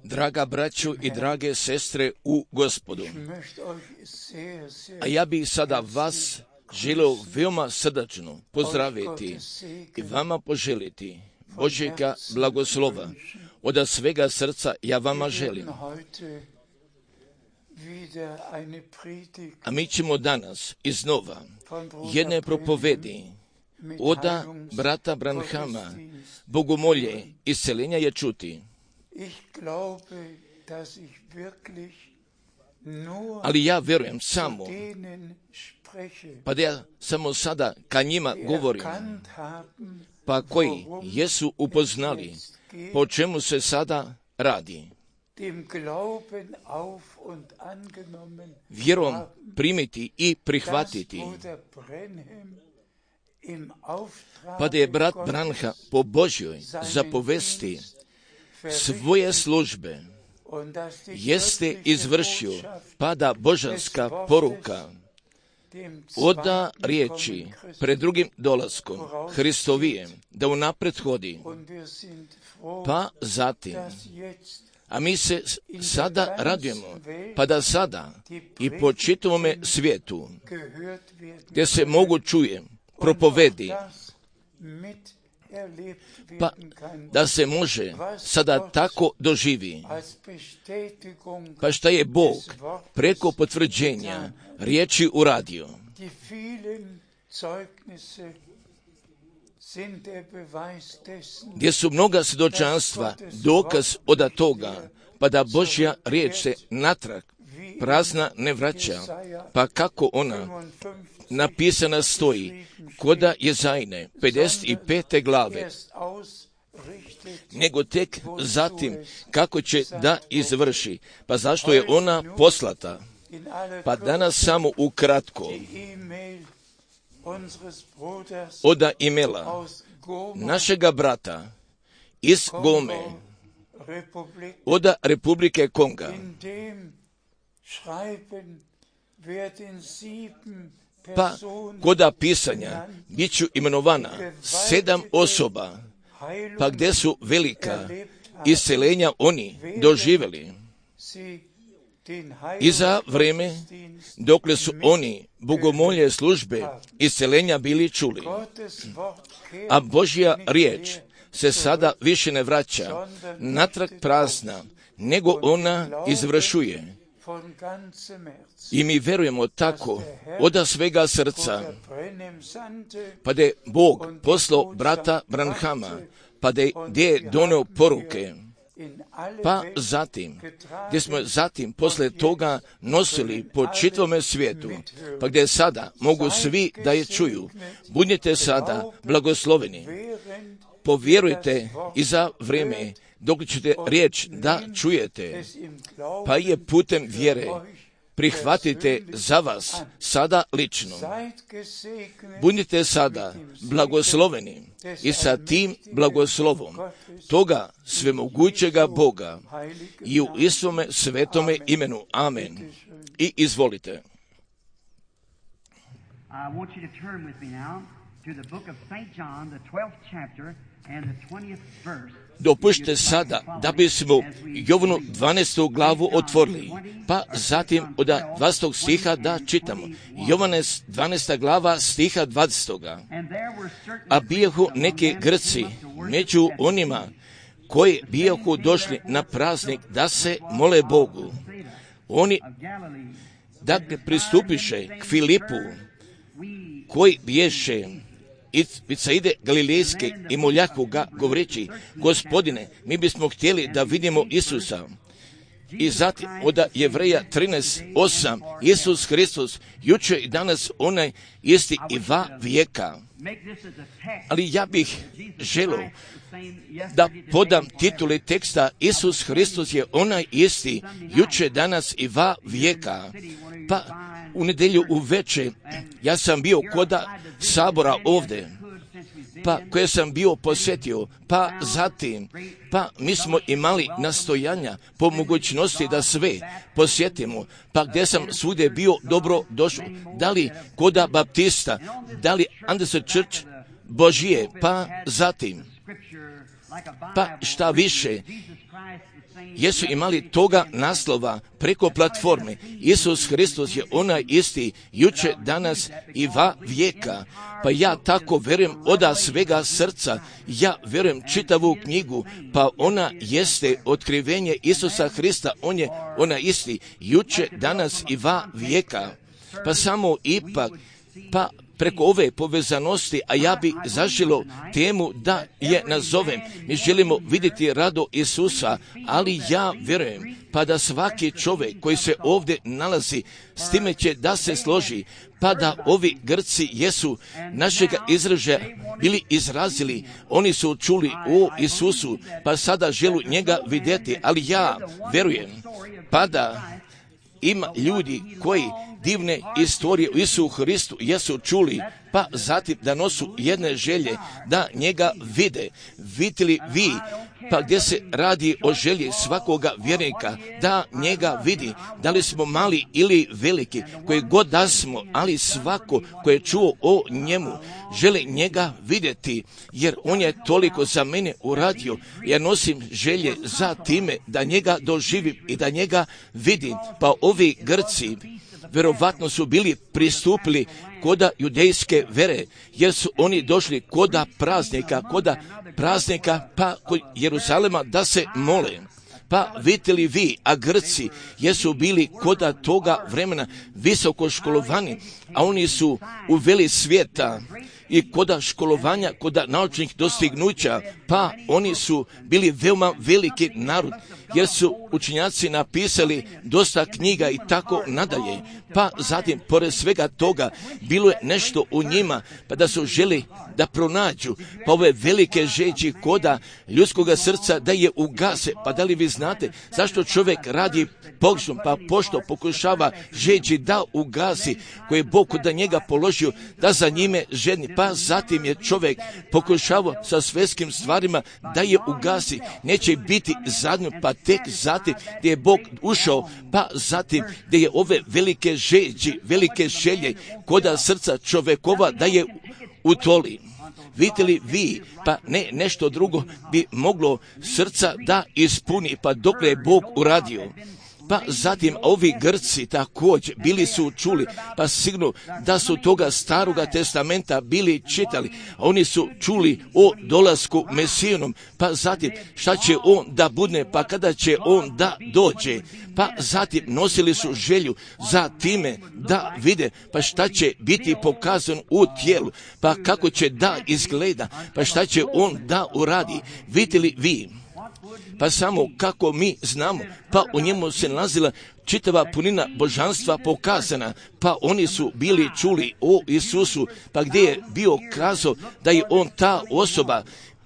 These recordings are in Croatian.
Draga braćo i drage sestre u Gospodu, a ja bih sada vas želio veoma srdačno pozdraviti i vama poželiti Božjega blagoslova. Od svega srca ja vama želim. A mi ćemo danas iznova jedne propovedi od brata Branhama, bogomolje, isceljenja je čuti. Ali ja vjerujem samo, pa da ja samo sada ka njima govorim, pa koji jesu upoznali po čemu se sada radi. Vjerom primiti i prihvatiti. Pa da je brat Branham po Božjoj zapovesti svoje službe jeste izvršio, pa da božanska poruka oda riječi pred drugim dolaskom Hristovijem da unapred hodi, pa zatim, a mi se sada radujemo, pa da sada i po čitavome svijetu gdje se mogu čuje propovedi, pa da se može sada tako doživi, pa šta je Bog preko potvrđenja riječi uradio. Gdje su mnoga svjedočanstva dokaz od toga, pa da Božja riječ se natrag prazna ne vraća, pa kako ona napisana stoji koda Jezajne 55. glave, nego tek zatim kako će da izvrši, pa zašto je ona poslata. Pa danas samo ukratko od imela našega brata iz Gome, od Republike Konga, pa koda pisanja bit ću imenovana 7 osoba, pa gdje su velika isceljenja oni doživjeli. I za vreme dokle su oni bogomolje službe isceljenja bili čuli, a Božja riječ se sada više ne vraća natrag prazna, nego ona izvršuje. I mi vjerujemo tako od svega srca, pa da je Bog poslao brata Branhama, pa da je donio poruke, pa zatim, gdje smo zatim posle toga nosili po čitavome svijetu, pa gdje sada mogu svi da je čuju. Budite sada blagosloveni, povjerujte i za vrijeme dok ćete riječ da čujete, pa je putem vjere prihvatite za vas sada lično. Budite sada blagosloveni i sa tim blagoslovom toga svemogućega Boga i u istome svetome imenu. Amen. I izvolite. I want you to turn with me now to the book of St. John, the 12th chapter and the 20th verse. Dopušte sada da bismo Jovanu 12. glavu otvorili, pa zatim od 20. stiha da čitamo. Jovane 12. glava stiha 20. A bijahu neki Grci među onima koji bijahu došli na praznik da se mole Bogu. Oni dakle pristupiše k Filipu, koji biješe Vicaide Galilejske i moljahu ga govoreći: Gospodine, mi bismo htjeli da vidimo Isusa. I zatim od Jevreja 13:8, Isus Hristos jučer i danas onaj isti i va vijeka. Ali ja bih želio da podam titule teksta: Isus Hristos je onaj isti jučer, danas i va vijeka. Pa u nedjelju uveče ja sam bio kod sabora ovdje, pa koje sam bio posjetio, pa zatim, mi smo imali nastojanja po mogućnosti da sve posjetimo, pa gdje sam svugdje bio dobro došao, da li koda Baptista, da li Anderson Church Božije, pa zatim, pa šta više, jesu imali toga naslova preko platforme: Isus Hristos je onaj isti jučer, danas i va vijeka. Pa ja tako vjerujem od svega srca, ja vjerujem čitavu knjigu, pa ona jeste otkrivenje Isusa Hrista, on je onaj isti jučer, danas i va vijeka. Pa samo ipak, pa preko ove povezanosti, a ja bi zaželio temu da je nazovem: mi želimo vidjeti rado Isusa, ali ja vjerujem pa da svaki čovjek koji se ovdje nalazi s time će da se složi, pa da ovi Grci jesu našega izražaja bili izrazili, oni su čuli o Isusu, pa sada želu njega vidjeti, ali ja vjerujem pa da ima ljudi koji divne istorije u Isusu Hristu jesu čuli, pa zatim da nosu jedne želje da njega vide. Vidite li vi, pa gdje se radi o želji svakoga vjernika da njega vidi, da li smo mali ili veliki, koji god da smo, ali svako koji je čuo o njemu želi njega vidjeti, jer on je toliko za mene uradio. Ja nosim želje za time da njega doživim i da njega vidim. Pa ovi Grci vjerovatno su bili pristupili koda judejske vere, jer su oni došli koda praznika, pa kod Jeruzalema da se mole. Pa vidite li vi, a Grci jesu bili koda toga vremena visoko školovani, a oni su uveli svijeta i koda školovanja, koda naučnih dostignuća, pa oni su bili veoma veliki narod, jer su učenjaci napisali dosta knjiga i tako nadalje. Pa zatim, pored svega toga, bilo je nešto u njima, pa da su želi da pronađu, pa ove velike žeđi koda ljudskoga srca da je ugase. Pa da li vi znate zašto čovjek radi pogrešno, pa pošto pokušava žeđi da ugasi, koje je Bog da njega položio da za njime žedni, pa zatim je čovjek pokušavao sa svjetskim stvarima da je ugasi, neće biti zadnjo, pa tek zatim gdje je Bog ušao, pa zatim gdje je ove velike žeđi, velike želje koda srca čovjekova da je utoli. Vidite li vi, pa ne nešto drugo bi moglo srca da ispuni, pa dokle je Bog uradio. Pa zatim ovi Grci također bili su čuli, pa sigurno da su toga staroga testamenta bili čitali. Oni su čuli o dolasku Mesijinom, pa zatim šta će on da bude, pa kada će on da dođe. Pa zatim nosili su želju za time da vide, pa šta će biti pokazan u tijelu, pa kako će da izgleda, pa šta će on da uradi. Vidite li vi? Pa samo kako mi znamo, pa u njemu se nalazila čitava punina božanstva pokazana, pa oni su bili čuli o Isusu, pa gdje je bio kazao da je on ta osoba,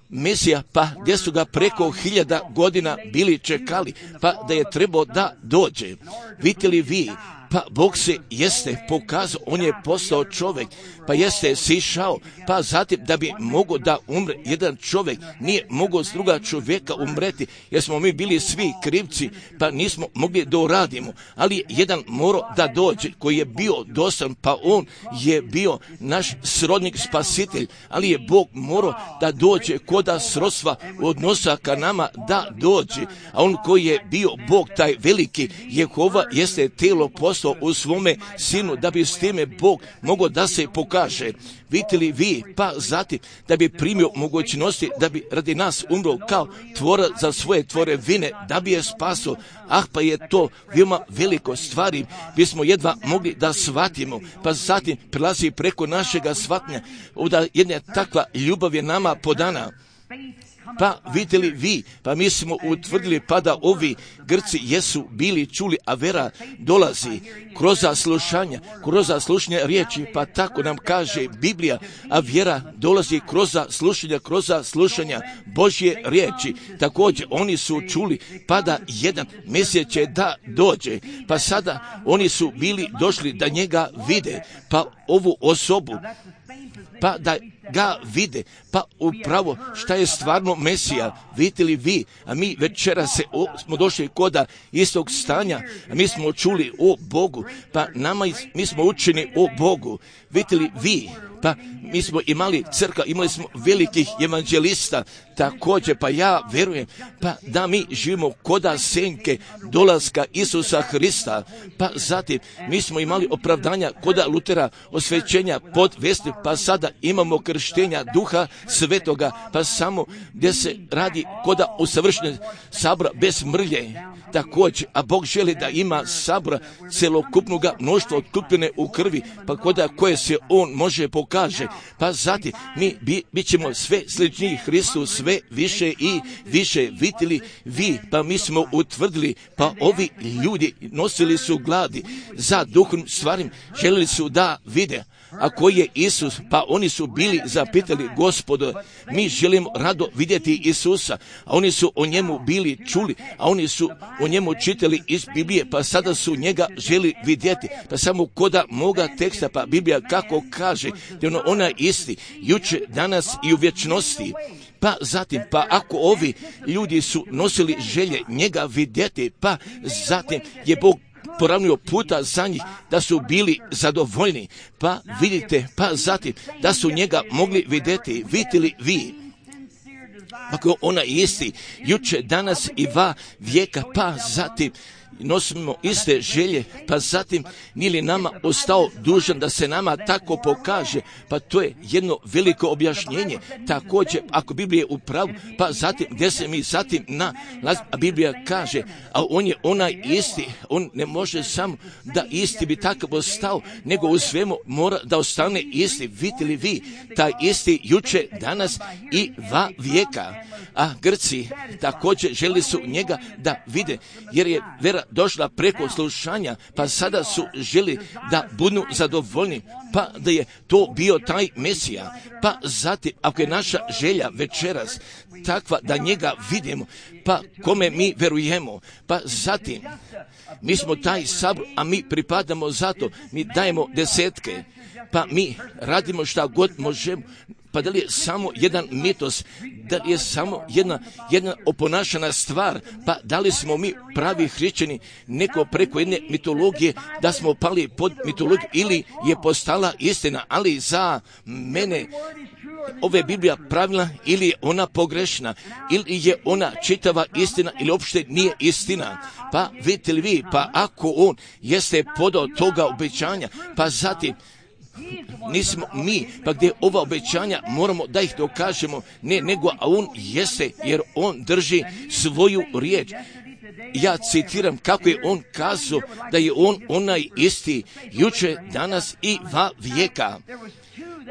Mesija, pa gdje su ga preko 1000 godina bili čekali, pa da je trebao da dođe. Vidite li vi, pa Bog se jeste pokazao, on je postao čovjek, pa jeste sišao, pa zatim da bi mogao da umre jedan čovjek, nije mogao s druga čovjeka umreti, jer smo mi bili svi krivci, pa nismo mogli da uradimo, ali jedan morao da dođe, koji je bio dostan, pa on je bio naš srodnik spasitelj, ali je Bog morao da dođe koda srodstva odnosa ka nama da dođe, a on koji je bio Bog, taj veliki Jehova, jeste telo postao, poslao u svome sinu, da bi s time Bog mogao da se pokaže. Vidite li vi, pa zatim da bi primio mogućnosti, da bi radi nas umro kao tvorac za svoje tvorevine, da bi je spasio. Pa je to veoma veliko stvari, bismo jedva mogli da shvatimo, pa zatim prelazi preko našega shvatnja, da jedna takva ljubav je nama podana. Pa vidite li vi, pa mi smo utvrdili pa da ovi Grci jesu bili čuli, a vera dolazi kroz slušanje riječi, pa tako nam kaže Biblija, a vjera dolazi kroz slušanja Božje riječi. Također oni su čuli pa da jedan Mesija će da dođe, pa sada oni su bili došli da njega vide, pa ovu osobu, pa da ga vide, pa upravo šta je stvarno Mesija. Vidite li vi, a mi večera smo došli koda istog stanja, a mi smo čuli o Bogu, pa mi smo učeni o Bogu. Vidite li vi, pa mi smo imali crkva, imali smo velikih evanđelista, također, pa ja verujem, pa da mi živimo koda senke dolaska Isusa Hrista, pa zatim mi smo imali opravdanja koda Lutera, osvećenja pod vesti, pa sada imamo krštenja Duha Svetoga, pa samo gdje se radi koda usavršenja sabora bez mrlje. Također, a Bog želi da ima sabora celokupnog mnoštva otkupljene u krvi, pa koda koje se On može pokaže, pa zatim mi bit ćemo sve sličniji Hristu, sve više i više. Vidjeli vi, pa mi smo utvrdili, pa ovi ljudi nosili su gladi za duhom stvarim, željeli su da vide. A koji je Isus? Pa oni su bili zapitali, Gospodo, mi želimo rado vidjeti Isusa, a oni su o njemu bili čuli, a oni su o njemu čitali iz Biblije, pa sada su njega želi vidjeti. Pa samo koda moga teksta, pa Biblija kako kaže, da je ona isti, juče, danas i u vječnosti. Pa zatim, pa ako ovi ljudi su nosili želje njega vidjeti, pa zatim je Bog poravnio puta za njih, da su bili zadovoljni, pa vidite, pa zatim da su njega mogli vidjeti. Vidite li vi, ako ona isti, juče, danas i va vijeka, pa zatim nosimo iste želje, pa zatim nije li nama ostao dužan da se nama tako pokaže, pa to je jedno veliko objašnjenje. Također, ako Biblija je u pravu, pa zatim gdje se mi zatim a Biblija kaže, a on je onaj isti, on ne može samo da isti bi takav ostao, nego u svemu mora da ostane isti. Vidite li vi, taj isti juče, danas i va vijeka. A Grci također želi su njega da vide, jer je vera došla preko slušanja, pa sada su želi da budu zadovoljni, pa da je to bio taj Mesija. Pa zatim, ako je naša želja večeras takva da njega vidimo, pa kome mi verujemo, pa zatim mi smo taj sabor, a mi pripadamo zato, mi dajemo desetke, pa mi radimo šta god možemo. Pa da li je samo jedan mitos, da li je samo jedna oponašana stvar, pa da li smo mi pravi hrišćani neko preko jedne mitologije, da smo pali pod mitologiju, ili je postala istina, ali za mene ova je Biblija pravilna ili je ona pogrešna, ili je ona čitava istina ili uopšte nije istina. Pa vidite li vi, pa ako on jeste podao toga obećanja, pa zatim nismo mi, pa gdje ova obećanja moramo da ih dokažemo, ne nego, a on jeste, jer on drži svoju riječ. Ja citiram kako je on kazao da je on onaj isti juče, danas i va vijeka.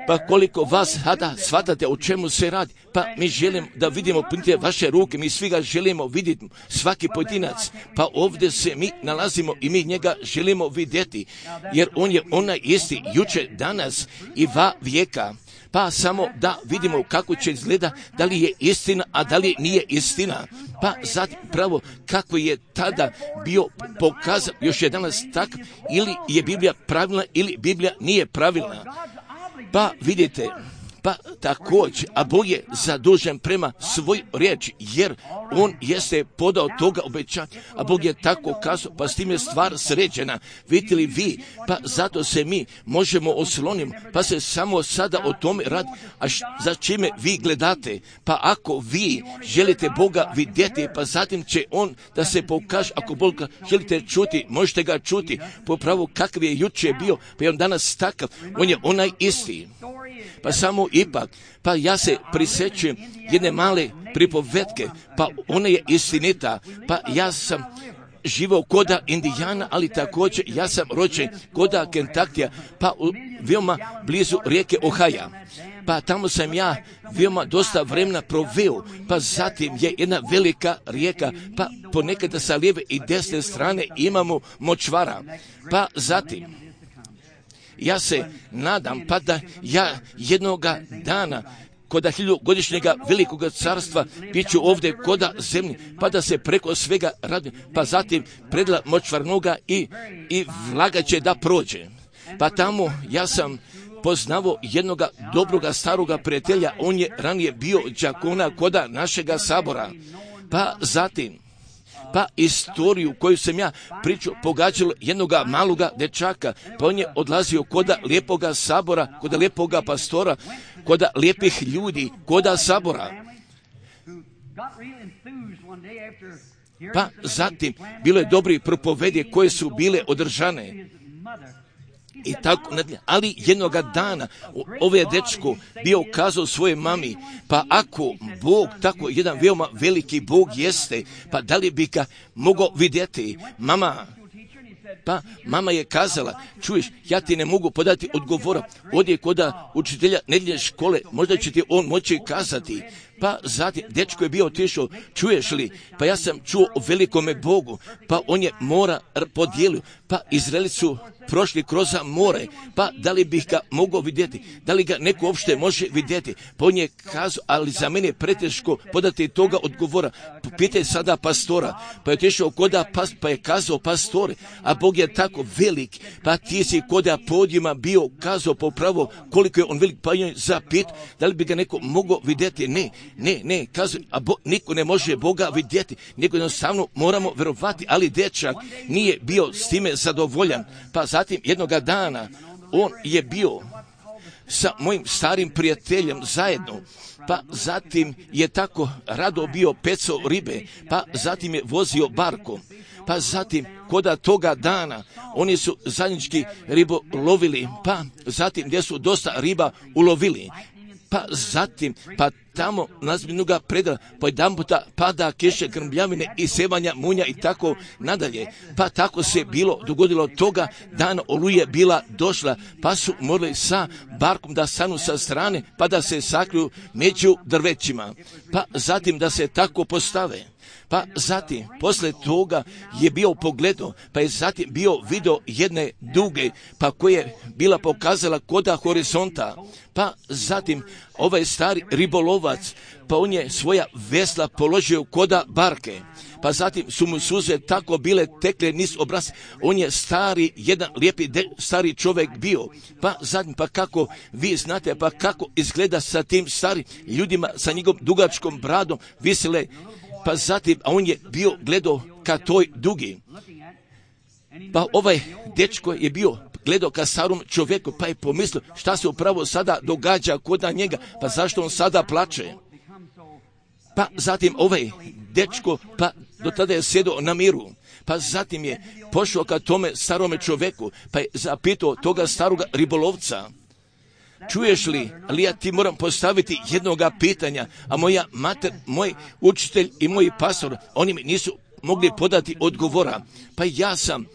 Pa koliko vas sada shvatate o čemu se radi, pa mi želimo da vidimo punite vaše ruke, mi svi ga želimo vidjeti, svaki pojedinac, pa ovdje se mi nalazimo i mi njega želimo vidjeti, jer on je onaj isti juče, danas i va vijeka. Pa samo da vidimo kako će izgleda, da li je istina, a da li nije istina. Pa zatim pravo kako je tada bio pokazan, još je danas tak, ili je Biblija pravilna ili Biblija nije pravilna. Pa vidite, Pa također, a Bog je zadužen prema svoj riječi, jer on jeste podao toga obećanja, a Bog je tako kazao, pa s tim je stvar sređena. Vidite li vi, pa zato se mi možemo osloniti, pa se samo sada o tome radi, a za čime vi gledate, pa ako vi želite Boga vidjeti, pa zatim će on da se pokaže, ako Boga želite čuti, možete ga čuti, po pravu kakav je jučer bio, pa je on danas takav, on je onaj isti. Pa samo ipak, pa ja se prisjećujem jedne male pripovetke, pa ona je istinita, pa ja sam živao koda Indijana, ali također ja sam rođen koda Kentuckija, pa veoma blizu rijeke Ohaja. Pa tamo sam ja veoma dosta vremena proveo, pa zatim je jedna velika rijeka, pa ponekada sa lijeve i desne strane imamo močvara, pa zatim ja se nadam pa da ja jednoga dana koda 1000-godišnjega velikog carstva bit ću ovdje koda zemlji, pa da se preko svega radi, pa zatim predla močvarnoga i vlaga će da prođe. Pa tamo ja sam poznavo jednoga dobroga staroga prijatelja, on je ranije bio đakona koda našega sabora. Pa zatim pa istoriju koju sam ja pričao pogađalo jednoga maloga dečaka, pa on je odlazio koda lijepoga sabora, koda lijepoga pastora, koda lijepih ljudi, koda sabora. Pa zatim bilo je dobri propovedi koje su bile održane. I tako, ali jednoga dana ovaj dečko bio kazao svoje mami, pa ako Bog tako jedan veoma veliki Bog jeste, pa da li bi ga mogao vidjeti? Mama je kazala, čuješ, ja ti ne mogu podati odgovora, odje koda učitelja nedjeljne škole, možda će ti on moći kazati. Pa zatim, dečko je bio otišao, čuješ li, pa ja sam čuo o velikome Bogu, pa on je mora podijelio, pa Izraeli su prošli kroz more, pa da li bih ga mogao vidjeti, da li ga neko uopšte može vidjeti, pa on je kazao, ali za mene je preteško podati toga odgovora, pitaj sada pastora, pa je otišao koda pa je kazao pastore, a Bog je tako velik, pa ti si koda podijuma bio kazao popravo koliko je on velik, pa je zapit, da li bi ga neko mogao vidjeti, ne, kazuje, a niko ne može Boga vidjeti, nego jednostavno moramo verovati, ali dečak nije bio s time zadovoljan, pa zatim jednoga dana on je bio sa mojim starim prijateljem zajedno, pa zatim je tako rado bio pecao ribe, pa zatim je vozio barkom, pa zatim koda toga dana oni su zajednički ribo lovili, pa zatim gdje su dosta riba ulovili, pa zatim, pa tamo nazbinuga predala, pa jedan puta pada kiše, grmljavine i sevanja munja i tako nadalje. Pa tako se bilo dogodilo toga dana, oluje bila došla, pa su morali sa barkom da stanu sa strane, pa da se sakriju među drvećima, pa zatim da se tako postave. Pa zatim, posle toga je bio pogledao, pa je zatim bio video jedne duge, pa koja je bila pokazala koda horizonta, pa zatim ovaj stari ribolovac, pa on je svoja vesla položio koda barke, pa zatim su mu suze tako bile tekle niz obraz, on je stari, jedan lijepi stari čovjek bio, pa zatim, pa kako vi znate, pa kako izgleda sa tim starim ljudima, sa njegovom dugačkom bradom, visile, pa zatim, a on je bio gledao ka toj dugi. Pa ovaj dečko je bio gledao ka starom čovjeku, pa je pomislio šta se upravo sada događa kod njega, pa zašto on sada plače. Pa zatim ovaj dečko, pa do tada je sjedao na miru, pa zatim je pošao ka tome starome čovjeku, pa je zapitao toga staroga ribolovca, čuješ li, ali ja ti moram postaviti jednoga pitanja, a moja mater, moj učitelj i moj pastor, oni mi nisu mogli podati odgovora, pa ja sam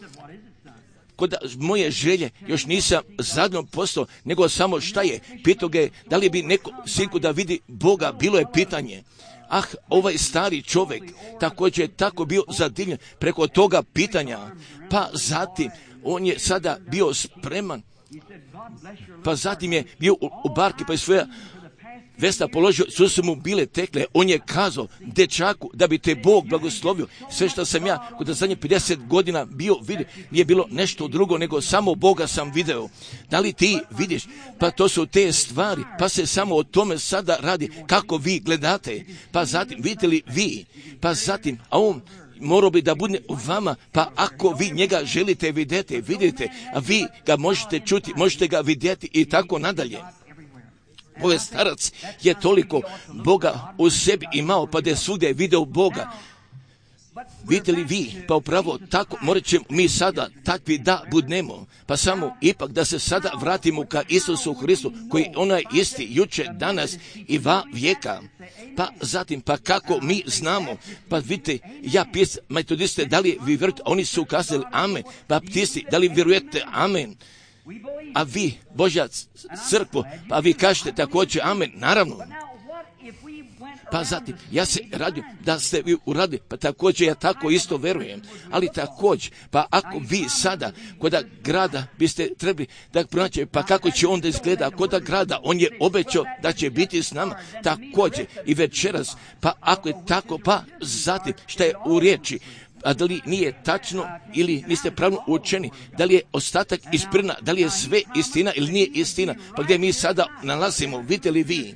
kod moje želje još nisam zadnjom postao, nego samo šta je, pitao ga je, da li bi neko sinku da vidi Boga, bilo je pitanje. Ovaj stari čovjek također je tako bio zadivljen preko toga pitanja, pa zatim on je sada bio spreman, pa zatim je bio u barki, pa je svoja Vesna položio, su mu bile tekle, on je kazao dečaku da bi te Bog blagoslovio. Sve što sam ja kod zadnje 50 godina bio vidio, nije bilo nešto drugo nego samo Boga sam video. Da li ti vidiš? Pa to su te stvari, pa se samo o tome sada radi kako vi gledate. Pa zatim, vidite li vi? Pa zatim, a on morao bi da bude u vama, pa ako vi njega želite vidite, a vi ga možete čuti, možete ga vidjeti i tako nadalje. Ovaj starac je toliko Boga u sebi imao, pa da je svugdje video Boga. Vidite li vi? Pa upravo tako morat ćemo mi sada takvi da budnemo. Pa samo ipak da se sada vratimo ka Isusu Hristu, koji onaj isti juče, danas i va vijeka. Pa zatim, pa kako mi znamo? Pa vidite, ja pitam, metodiste, da li vi vjerujete? Oni su ukazali amen. Baptisti, da li vjerujete amen? A vi, Božja crkvo, pa vi kažete također amen, naravno. Pa zatim, ja se radim da ste vi uradili, pa također ja tako isto verujem. Ali također, pa ako vi sada kod grada biste trebali da pronaći, pa kako će onda izgleda kod grada, on je obećao da će biti s nama također i večeras, pa ako je tako, pa zatim, šta je u riječi, a da li nije tačno ili niste pravno učeni, da li je ostatak isprina, da li je sve istina ili nije istina, pa gdje mi sada nalazimo, vidite li vi?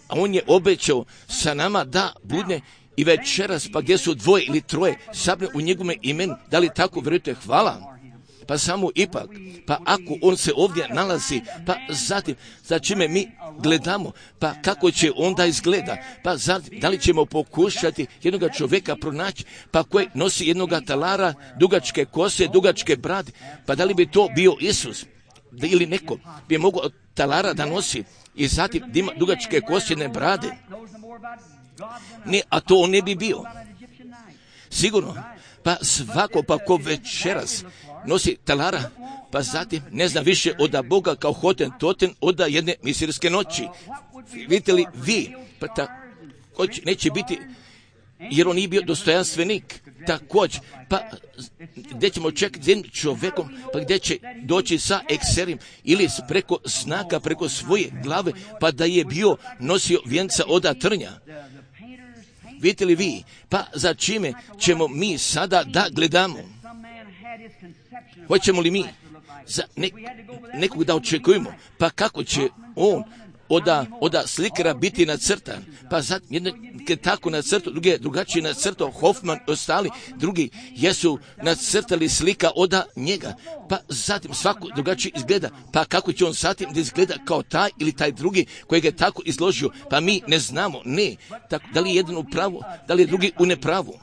A on je obećao sa nama da bude i večeras, pa gdje su dvoje ili troje sabne u njegovome imenu, da li tako vjerujete? Hvala. Pa samo ipak, pa ako on se ovdje nalazi, pa zatim, za čime mi gledamo, pa kako će onda izgleda, pa zatim, da li ćemo pokušati jednoga čovjeka pronaći, pa koji nosi jednoga talara, dugačke kose, dugačke brade, pa da li bi to bio Isus, ili neko bi mogao od talara da nosi, i zatim da ima dugačke kosjene brade. Ne, a to on ne bi bio. Sigurno. Pa svako pa ko večeras nosi talara, pa zatim ne zna više od Boga kao hoten toten od jedne misirske noći. Vidite li vi? Pa također neće biti, jer on nije bio dostojanstvenik. Također, pa gdje ćemo čekati s jednim čovjekom, pa gdje će doći sa ekserim ili preko znaka, preko svoje glave, pa da je bio nosio vjenca od trnja. Vidite li vi? Pa za čime ćemo mi sada da gledamo? Hoćemo li mi za nekog da očekujemo? Pa kako će on od slikara biti nacrtan? Pa zatim jedne tako nacrtao, druge drugačije nacrtao, Hoffman i ostali drugi jesu nacrtali slika od njega. Pa zatim svako drugačije izgleda. Pa kako će on zatim da izgleda kao taj ili taj drugi kojeg je tako izložio? Pa mi ne znamo, ne. Tako, da li je jedan u pravu, da li je drugi u nepravu?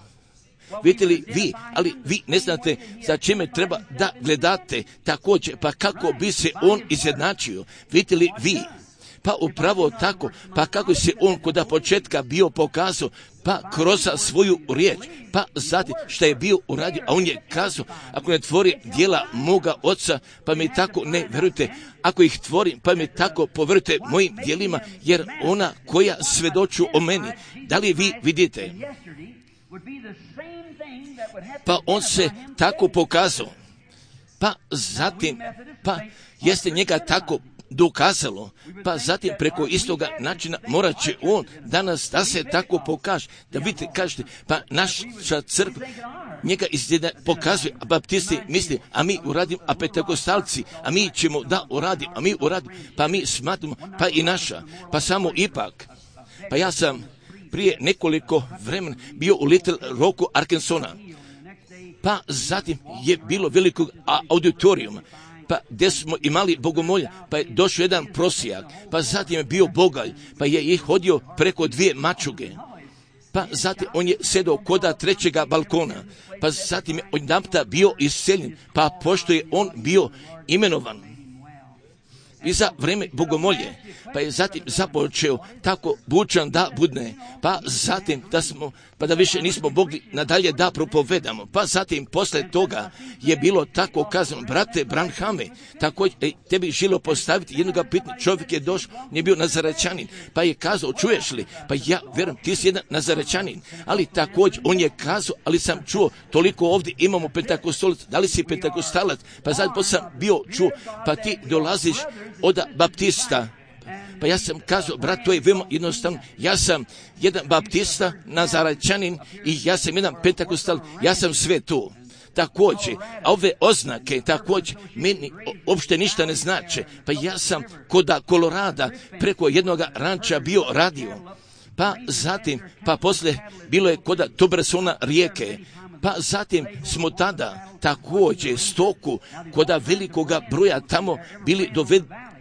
Vidite li vi, ali vi ne znate za čime treba da gledate također, pa kako bi se on izjednačio? Vidite li vi? Pa upravo tako, pa kako se on kod početka bio pokazao, pa kroz svoju riječ, pa zatim šta je bio uradio, a on je kazao, ako ne tvori djela moga oca, pa mi tako ne verujte, ako ih tvorim, pa mi tako poverujte mojim djelima, jer ona koja svedoču o meni, da li vi vidite? Pa on se tako pokazao, pa zatim, pa jeste njega tako dokazalo, pa zatim preko istoga načina morat će on danas da se tako pokaže, da vidite, kažete, pa naša crkva njega pokazuje, a baptisti misli, a mi uradimo, a pentekostalci, a mi ćemo da uradimo, a mi uradimo, pa mi smatramo, pa i naša, pa samo ipak. Pa ja sam prije nekoliko vremena bio u Little Rocku, Arkansasa, pa zatim je bilo velikog auditorijuma, pa gdje smo imali bogomolja, pa je došao jedan prosijak, pa zatim je bio bogalj, pa je ih hodio preko 2 mačuge, pa zatim on je sedao koda 3. balkona, pa zatim je odjedanputa bio iseljen, pa pošto je on bio imenovan i za vrijeme bogomolje, pa je zatim započeo tako bučan da budne, pa zatim pa da više nismo mogli nadalje da propovedamo, pa zatim posle toga je bilo tako kazano, brate Branhame, također tebi želio postaviti jednoga pitanja, čovjek je došao, nije bio Nazarećanin, pa je kazao, čuješ li, pa ja vjerujem, ti si jedan Nazarećanin, ali također on je kazao, ali sam čuo, toliko ovdje imamo pentakostalac, da li si pentakostalac, pa zatim sam bio čuo, pa ti dolaziš od baptista, Pa ja sam kazao, brat, to je veoma jednostavno. Ja sam jedan baptista, nazaračanin i ja sam jedan pentakostal, ja sam sve to. Također, a ove oznake također meni uopšte ništa ne znače. Pa ja sam kod Kolorada preko jednog ranča bio radio. Pa zatim, pa poslije bilo je kod Tubersona rijeke. Pa zatim smo tada također stoku kod velikoga broja tamo bili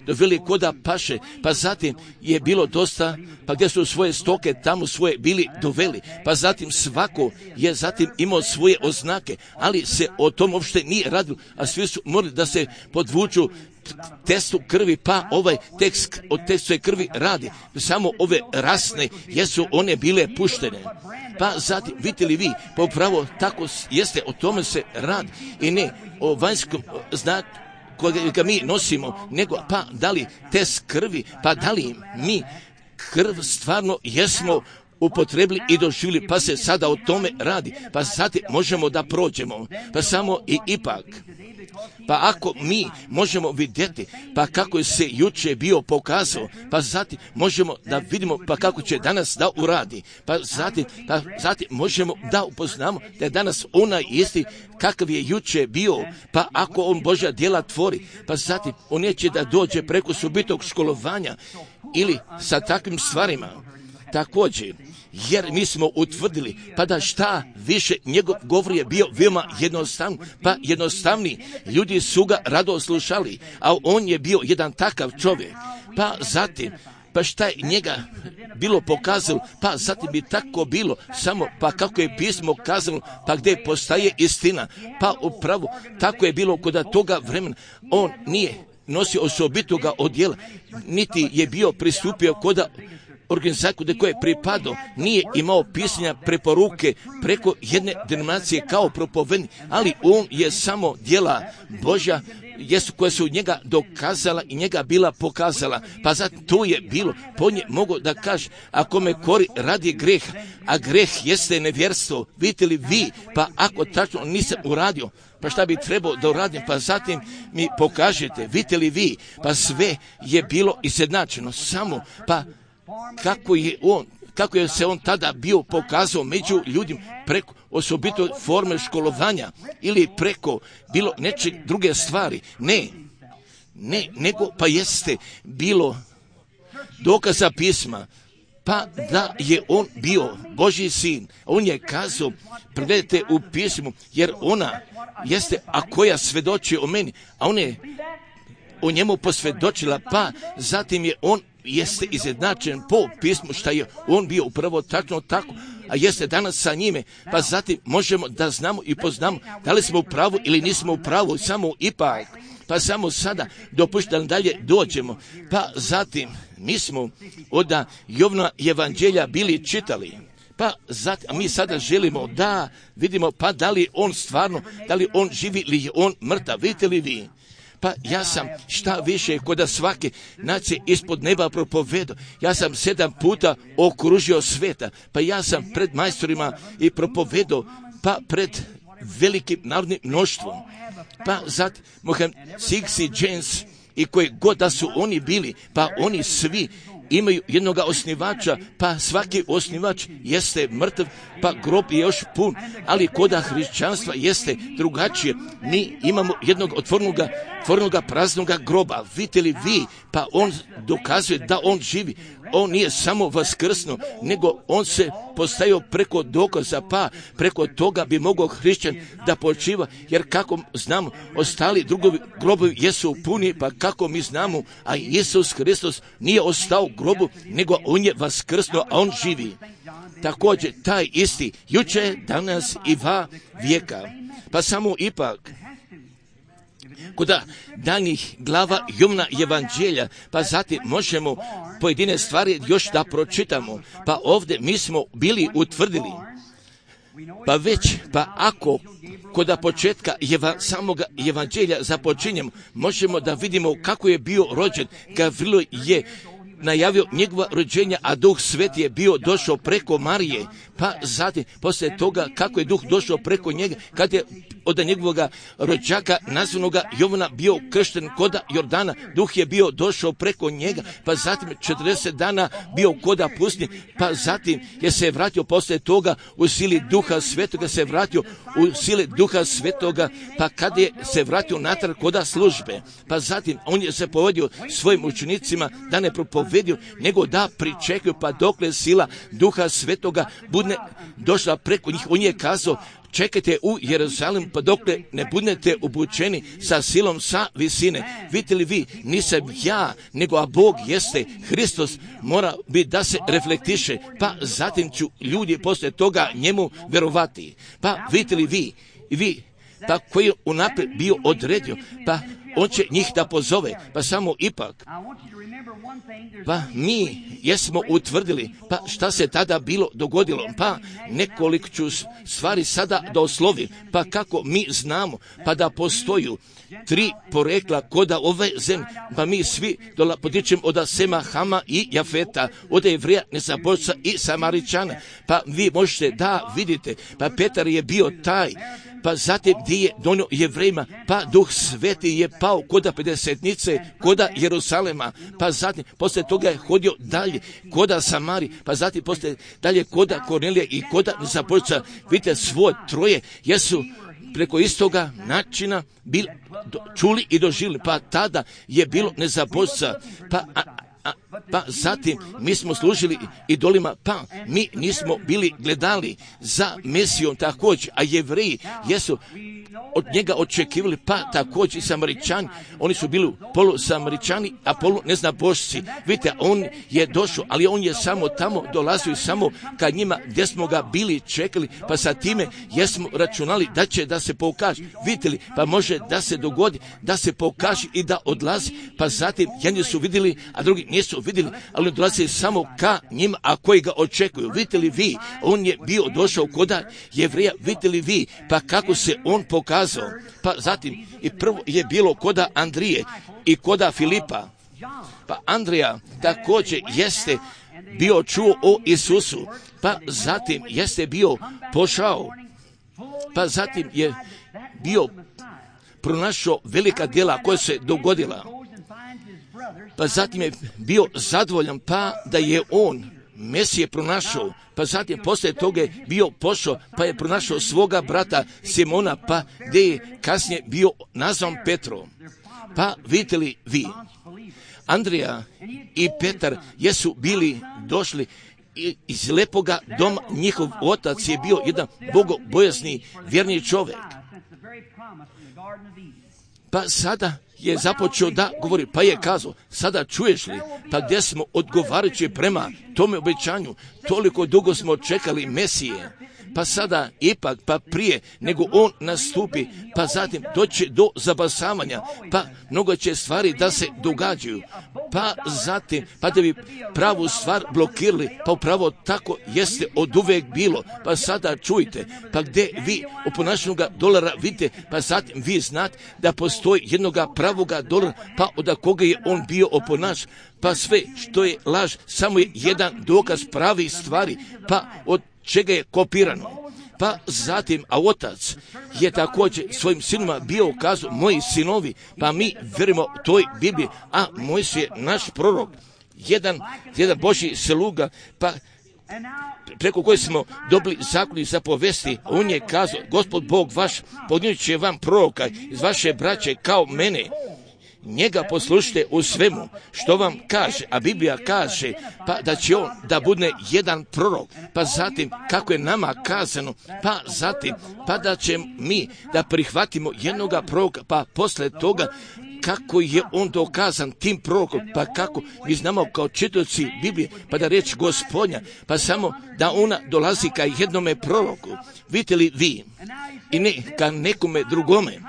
doveli koda paše, pa zatim je bilo dosta, pa gdje su svoje stoke tamo svoje bili doveli, pa zatim svako je zatim imao svoje oznake, ali se o tom uopšte nije radilo, a svi su morali da se podvuču testu krvi, pa ovaj tekst od testu krvi radi. Samo ove rasne jesu one bile puštene. Pa zatim, vidite li vi, pa upravo tako jeste, o tome se radi i ne o vanjskom znaku kojega mi nosimo, nego pa da li test krvi, pa da li mi krv stvarno jesmo upotrebili i doživjeli, pa se sada o tome radi, pa sad možemo da prođemo, pa samo i ipak. Pa ako mi možemo vidjeti, pa kako je se juče bio pokazao, pa zatim možemo da vidimo, pa kako će danas da uradi, pa zatim možemo da upoznamo da je danas onaj isti kakav je juče bio, pa ako on Božja djela tvori, pa zatim on neće da dođe preko subitog školovanja ili sa takvim stvarima. Također, jer mi smo utvrdili, pa da šta više njegov govor je bio veoma jednostavan, pa jednostavni, ljudi su ga rado slušali, a on je bio jedan takav čovjek, pa zatim, pa šta je njega bilo pokazalo, pa zatim bi tako bilo, samo pa kako je pismo kazalo, pa gdje postaje istina, pa upravo tako je bilo kod toga vremena, on nije nosio osobitoga odjela, niti je bio pristupio kod organizaciju do koje je pripadao, nije imao pisanja preporuke preko jedne denominacije kao propovednik, ali on je samo djela Božja koja su njega dokazala i njega bila pokazala. Pa zato to je bilo, po nje mogu da kaže, ako me kori radi greh, a greh jeste nevjerstvo, vidite li vi, pa ako tačno nisam uradio, pa šta bi trebao da uradim, pa zatim mi pokažete, vidite li vi, pa sve je bilo izjednačeno, samo pa kako je se on tada bio pokazao među ljudima preko osobito forme školovanja ili preko bilo neče druge stvari. Ne, nego pa jeste bilo dokaza pisma, pa da je on bio Božji sin. On je kazao, pregledajte u pismu, jer ona jeste, a koja svedoči o meni, a on je o njemu posvjedočila, pa zatim je on jeste izjednačen po pismu šta je on bio upravo tačno tako, a jeste danas sa njime, pa zatim možemo da znamo i poznamo da li smo u pravu ili nismo u pravu, samo ipak, pa samo sada dopušta da dalje dođemo, pa zatim mi smo od Jovna evanđelja bili čitali, pa zatim, a mi sada želimo da vidimo pa da li on stvarno, da li on živi ili je on mrtav, vidite li vi? Pa ja sam šta više kod svake nacije ispod neba propovedao. Ja sam 7 puta okružio sveta. Pa ja sam pred majstorima i propovedao, pa pred velikim narodnim mnoštvom. Pa zatim Mohamed Sixi James i koji god da su oni bili, pa oni svi imaju jednog osnivača, pa svaki osnivač jeste mrtav, pa grob je još pun, ali koda hrišćanstva jeste drugačije. Mi imamo jednog otvornoga praznoga groba. Vidite li vi, pa on dokazuje da on živi. On nije samo vaskrsno, nego on se postavio preko dokaza, pa preko toga bi mogao hrišćan da počiva, jer kako znamo, ostali drugovi grobovi jesu puni, pa kako mi znamo, a Isus Hristos nije ostao u grobu, nego on je vaskrsno, a on živi. Također, taj isti, juče, danas i va vijeka. Pa samo ipak, kod daljnjih glava Jovna evanđelja, pa zatim možemo pojedine stvari još da pročitamo. Pa ovdje mi smo bili utvrdili, pa već, pa ako kod početka samog evanđelja započinjemo, možemo da vidimo kako je bio rođen. Gavrilo je najavio njegova rođenja, a Duh Sveti je bio došao preko Marije, pa zatim poslije toga kako je Duh došao preko njega, kad je od njegovog rođaka nazvanoga Jovana bio kršten koda Jordana, Duh je bio došao preko njega, pa zatim 40 dana bio koda pustinje, pa zatim je se vratio poslije toga u sili Duha Svetoga, se vratio u sili Duha Svetoga, pa kad je se vratio natrag koda službe, pa zatim on je se povedio svojim učenicima da ne propovedio, nego da pričekaju pa dokle sila Duha Svetoga bude došla preko njih. On je kazao, čekajte u Jerusalim pa dokle ne budete obučeni sa silom sa visine. Vidite li vi, nisam ja, nego a Bog jeste, Hristos mora biti da se reflektiše, pa zatim ću ljudi poslije toga njemu verovati. Pa vidite li vi, pa koji je unaprijed bio odredio, pa on će njih da pozove, pa samo ipak. Pa mi jesmo utvrdili, pa šta se tada bilo dogodilo, pa nekoliko ću stvari sada da oslovim, pa kako mi znamo, pa da postoju 3 porekla koda ove zemlje, pa mi svi potičemo od Sema, Hama i Jafeta, od Jevrija, Nezabožca i Samaričana, pa vi možete da vidite, pa Petar je bio taj, pa zatim gdje je donio Jevrejima, pa Duh Sveti je pao koda pedesetnice, koda Jerusalema, pa zatim poslije toga je hodio dalje koda Samari, pa zatim poslije dalje koda Kornelija i koda Nezabožca. Vidite, svoje troje jesu preko istoga načina čuli i doživjeli, pa tada je bilo Nezabožca, pa zatim mi smo služili idolima, pa mi nismo bili gledali za Mesijom također, a Jevreji jesu od njega očekivali, pa također i Samaričani, oni su bili polu Samaričani, a polu neznabošci. Vidite, on je došao, ali on je samo tamo dolazio samo kad njima gdje smo ga bili čekali, pa sa time jesmo računali da će da se pokaže. Vidite li, pa može da se dogodi, da se pokaže i da odlazi, pa zatim jedni su vidjeli, a drugi nisu vidjeli, ali dolazi samo ka njima, a koji ga očekuju. Vidite li vi, on je bio došao koda Jevreja, vidite li vi, pa kako se on pokazao, pa zatim i prvo je bilo koda Andrije i koda Filipa, pa Andrija također jeste bio čuo o Isusu, pa zatim jeste bio pošao, pa zatim je bio pronašao velika djela koja se dogodila, pa zatim je bio zadovoljan, pa da je on Mesije pronašao, pa zatim poslije toga je bio pošao, pa je pronašao svoga brata Simona, pa gdje je kasnije bio nazvan Petrom. Pa vidite li vi, Andrija i Petar jesu bili došli iz lepoga doma, njihov otac je bio jedan bogobojazni vjerni čovjek. Pa sada je započeo da govori, pa je kazao, sada čuješ li, pa gdje smo odgovarajući prema tome obećanju, toliko dugo smo čekali Mesije, pa sada ipak, pa prije nego on nastupi, pa zatim doći do zabasavanja, pa mnogo će stvari da se događaju, pa zatim, pa da bi pravu stvar blokirali, pa upravo tako jeste od uvek bilo, pa sada čujte, pa gdje vi u ponašanju dolara vidite, pa zatim vi znate da postoji jednoga pravoga dolara, pa od koga je on bio oponaš, pa sve što je laž, samo je jedan dokaz pravi stvari, pa od čega je kopirano. Pa zatim, a otac je također svojim sinima bio kazao, moji sinovi, pa mi verimo toj Bibliji, a Mojsije je naš prorok, jedan Božji sluga, pa preko koje smo dobili zakon i zapovesti, on je kazao, Gospod Bog vaš podnijet će vam proroka iz vaše braće kao mene. Njega poslušajte u svemu što vam kaže, a Biblija kaže pa da će on da bude jedan prorok, pa zatim kako je nama kazano, pa zatim pa da će mi da prihvatimo jednoga proroka, pa posle toga kako je on dokazan tim prorokom, pa kako mi znamo kao čitaoci Biblije, pa da reći Gospodnja, pa samo da ona dolazi ka jednome proroku. Vidite li vi, i ne ka nekome drugome,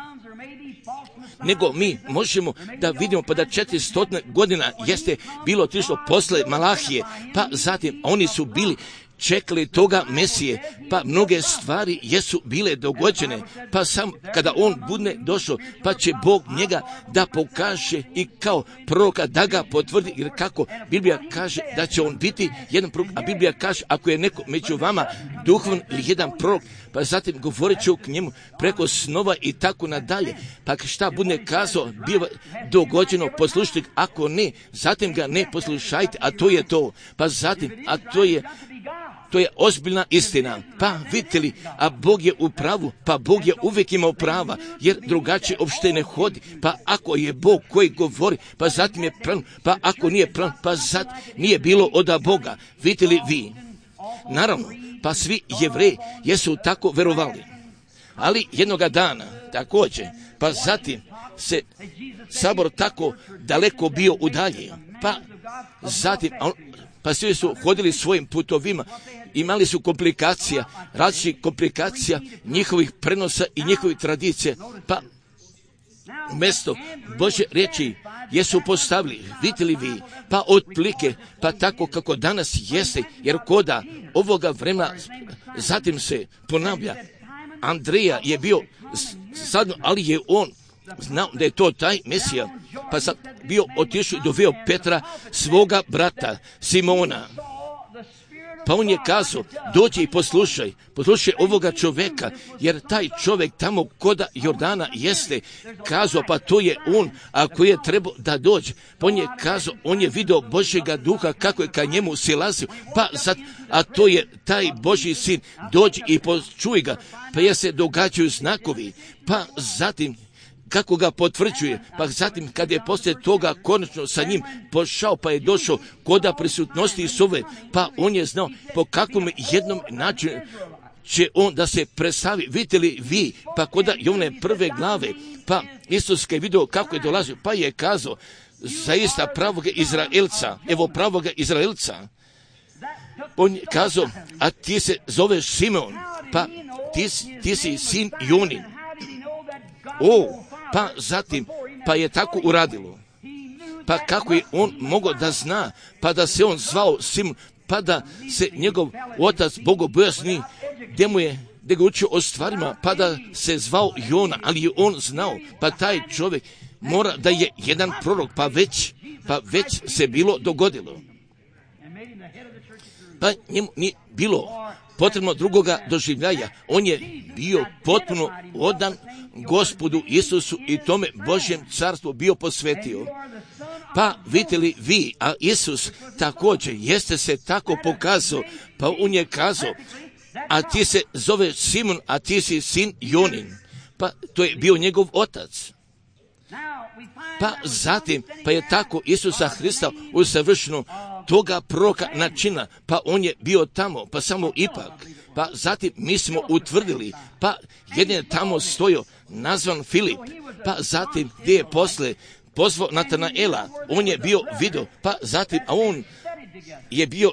nego mi možemo da vidimo pa da 400 godina jeste bilo otišlo posle Malahije, pa zatim oni su bili čekali toga Mesije, pa mnoge stvari jesu bile dogođene, pa sam kada on bude došao, pa će Bog njega da pokaže i kao proroka da ga potvrdi, jer kako Biblija kaže da će on biti jedan prorok, a Biblija kaže ako je neko među vama duhovan ili jedan prorok, pa zatim govorit ću k njemu preko snova i tako nadalje, pa šta bude kazao, biva dogođeno, poslušajte, ako ne, zatim ga ne poslušajte, a to je to, pa zatim, a to je ozbiljna istina. Pa vidite li, a Bog je u pravu, pa Bog je uvijek imao prava, jer drugačije uopšte ne hodi. Pa ako je Bog koji govori, pa zatim je pravan, pa ako nije pravan, pa zatim nije bilo od Boga. Vidite li vi? Naravno, pa svi Jevreji jesu tako verovali. Ali jednoga dana, također, pa zatim se sabor tako daleko bio udaljen, pa zatim, pa svi su hodili svojim putovima, imali su komplikacija, različitih komplikacija njihovih prenosa i njihovih tradicija, pa mjesto Božje riječi jesu postavili, vidite li vi, pa otplike, pa tako kako danas jeste, jer koda ovoga vremena zatim se ponavlja. Andreja je bio sadno, ali je on znao da je to taj Mesija, pa sad bio otišao i doveo Petra, svoga brata Simona. Pa on je kazao, dođi i poslušaj ovoga čovjeka, jer taj čovjek tamo koda Jordana jeste, kazao, pa to je on, ako je trebao da dođe. Pa on je kazao, on je vidio Božjega duha kako je ka njemu silazio, pa sad, a to je taj Božji sin, dođi i počuj ga, pa je se događaju znakovi, pa zatim kako ga potvrđuje, pa zatim kad je poslije toga konačno sa njim pošao, pa je došao koda prisutnosti Isove, pa on je znao po kakvom jednom načinu će on da se predstavi. Vidite li vi, pa koda i one prve glave, pa Isus je vidio kako je dolazio, pa je kazao, zaista pravoga Izraelca, evo pravoga Izraelca. On je kazao, a ti se zoveš Simon, pa ti si sin Jonin. Pa zatim, pa je tako uradilo. Pa kako je on mogao da zna, pa da se on zvao Simon, pa da se njegov otac bogobojazni, gdje ga učio o stvarima, pa da se zvao Jona, ali je on znao, pa taj čovjek mora da je jedan prorok, pa već se bilo dogodilo. Pa njemu nije bilo potrebno drugoga doživljaja. On je bio potpuno odan Gospodu Isusu i tome Božjem carstvu bio posvetio. Pa vidite li vi, a Isus također jeste se tako pokazao, pa on je kazao, a ti se zove Simon, a ti si sin Jonin. Pa to je bio njegov otac. Pa zatim, pa je tako Isusa Hrista usavršeno toga proroka načina, pa on je bio tamo, pa samo ipak, pa zatim mi smo utvrdili, pa jedan je tamo stojao, nazvan Filip, pa zatim gdje je posle pozvao Natanaela, on je bio vidio, pa zatim, a on je bio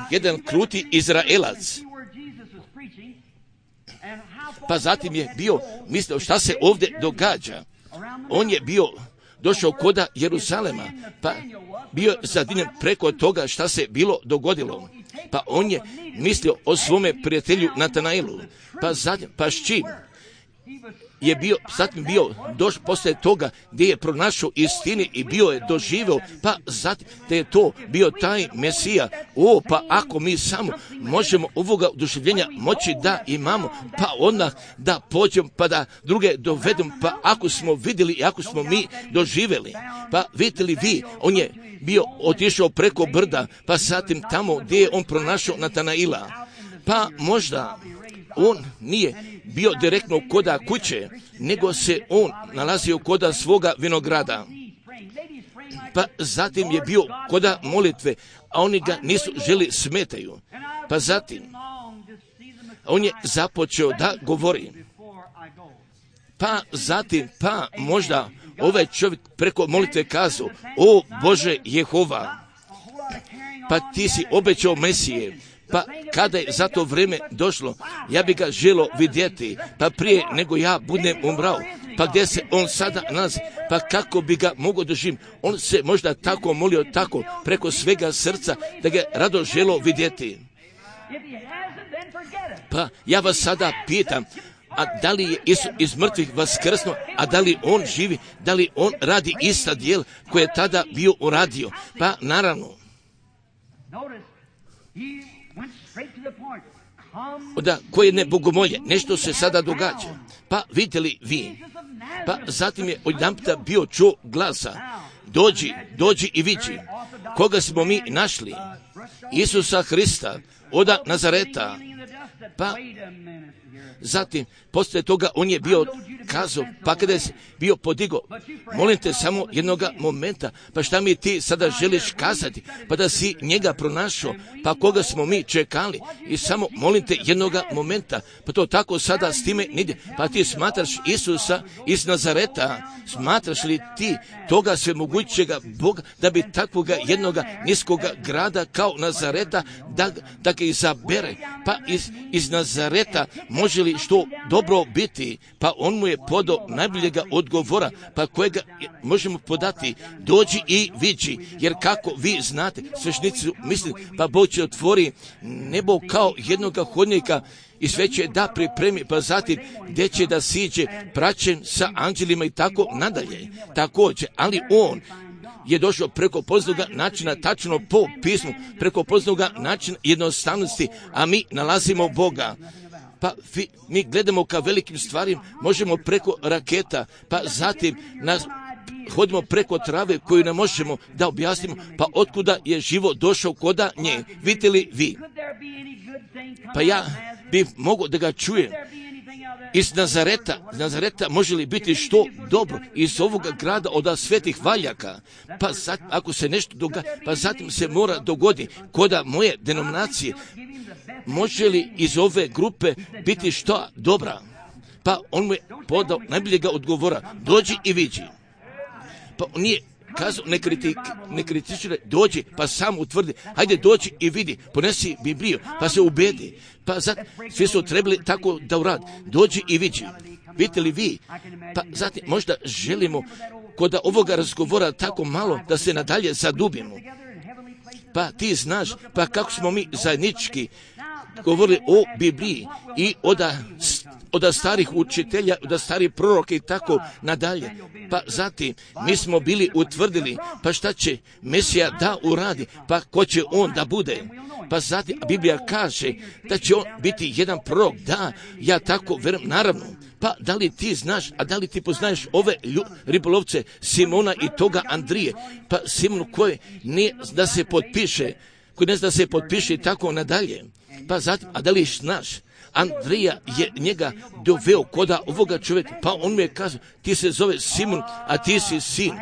jedan kruti Izraelac, pa zatim je bio mislio šta se ovdje događa, on je bio došao koda Jeruzalema, pa bio zadivljen preko toga šta se bilo dogodilo. Pa on je mislio o svome prijatelju Natanaelu. Pa zatim, pa s čim je bio, zatim bio došao poslije toga gdje je pronašao istini i bio je doživio, pa zatim da je to bio taj Mesija. Pa ako mi samo možemo ovoga oduševljenja moći da imamo, pa odmah da pođemo, pa da druge dovedemo, pa ako smo vidjeli i ako smo mi doživjeli, pa vidite li vi, on je bio otišao preko brda, pa zatim tamo gdje je on pronašao Natanaila, pa možda on nije bio direktno koda kuće, nego se on nalazio koda svoga vinograda. Pa zatim je bio koda molitve, a oni ga nisu želi smetaju. Pa zatim on je započeo da govori. Pa zatim, pa možda ovaj čovjek preko molitve kazao, o Bože Jehova, pa ti si obećao Mesije, pa kada je za to vrijeme došlo, ja bi ga želio vidjeti, pa prije nego ja budem umrao, pa gdje se on sada nalazi, pa kako bi ga mogao doživjeti. On se možda tako molio, tako preko svega srca, da ga rado želio vidjeti. Pa ja vas sada pitam, a da li je Isus iz mrtvih vaskrsnuo, a da li on živi, da li on radi ista djela koje je tada bio uradio? Pa naravno. Da, koje ne bogomolje, nešto se sada događa. Pa vidjeli vi. Pa zatim je odjedanputa bio čuo glasa. Dođi i vidi. Koga smo mi našli? Isusa Hrista, oda Nazareta. Pa zatim, poslije toga on je bio kazao, pa kada je bio podigao, molim te samo jednoga momenta, pa šta mi ti sada želiš kazati, pa da si njega pronašao, pa koga smo mi čekali, i samo molim te jednoga momenta, pa to tako sada s time nide, pa ti smatraš Isusa iz Nazareta, smatraš li ti toga svemogućega Boga, da bi takvoga jednoga niskoga grada kao Nazareta, da ga izabere, pa iz Nazareta može li što dobro biti, pa on mu je podao najboljega odgovora, pa kojega možemo podati, dođi i vidi, jer kako vi znate, sveštenici misli, pa Bog će otvori nebo kao jednoga hodnika i sve će da pripremi, pa zatim gdje će da siđe praćen sa anđelima i tako nadalje. Također, ali on je došao preko poznaga načina, tačno po pismu, preko poznaga načina jednostavnosti, a mi nalazimo Boga. Pa mi gledamo ka velikim stvarima, možemo preko raketa, pa zatim hodimo preko trave koju ne možemo da objasnimo, pa otkuda je život došao koda nje. Vidite li vi? Pa ja bih mogao da ga čujem. Iz Nazareta može li biti što dobro iz ovoga grada od svetih valjaka? Pa zatim, ako se nešto događa, pa zatim se mora dogoditi koda moje denominacije. Može li iz ove grupe biti što dobra? Pa on mu je podao najboljega odgovora. Dođi i vidi. Pa on nije kazao, ne kritikira, dođi, pa sam utvrdi. Hajde dođi i vidi, ponesi Bibliju, pa se ubedi. Pa zatim, svi su trebali tako da uradi. Dođi i vidi. Vidite li vi? Pa zatim, možda želimo kod ovoga razgovora tako malo da se nadalje zadubimo. Pa ti znaš, pa kako smo mi zajednički govorili o Bibliji i od starih učitelja, od starih proroka i tako nadalje. Pa zatim mi smo bili utvrdili, pa šta će Mesija da uradi, pa ko će on da bude. Pa zatim Biblija kaže da će on biti jedan prorok, da, ja tako verujem, naravno. Pa da li ti znaš, a da li ti poznaješ ove ribolovce Simona i toga Andrije, pa Simonu koji ne da se potpiše, koji ne zna da se potpiše i tako nadalje. Pa zatim, a da li znaš, Andrija je njega doveo koda ovoga čovjeka, pa on mu je kazao, ti se zove Simon, a ti si sin.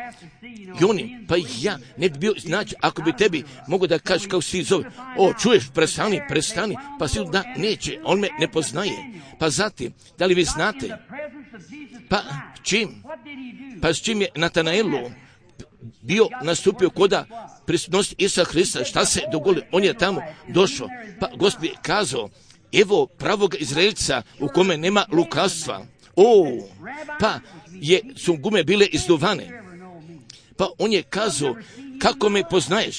I oni, pa ja ne bi bio, znači, ako bi tebi mogo da kažeš kako si zove, čuješ, prestani, pa si da neće, on me ne poznaje. Pa zatim, da li vi znate, pa čim, pa s čim je Natanaelu bio nastupio koda prisutnosti Isusa Hrista, šta se dogodilo, on je tamo došao, pa Gospod je kazao, evo pravog Izraelca u kome nema lukavstva. Pa su gume bile izduvane. Pa on je kazao, kako me poznaješ,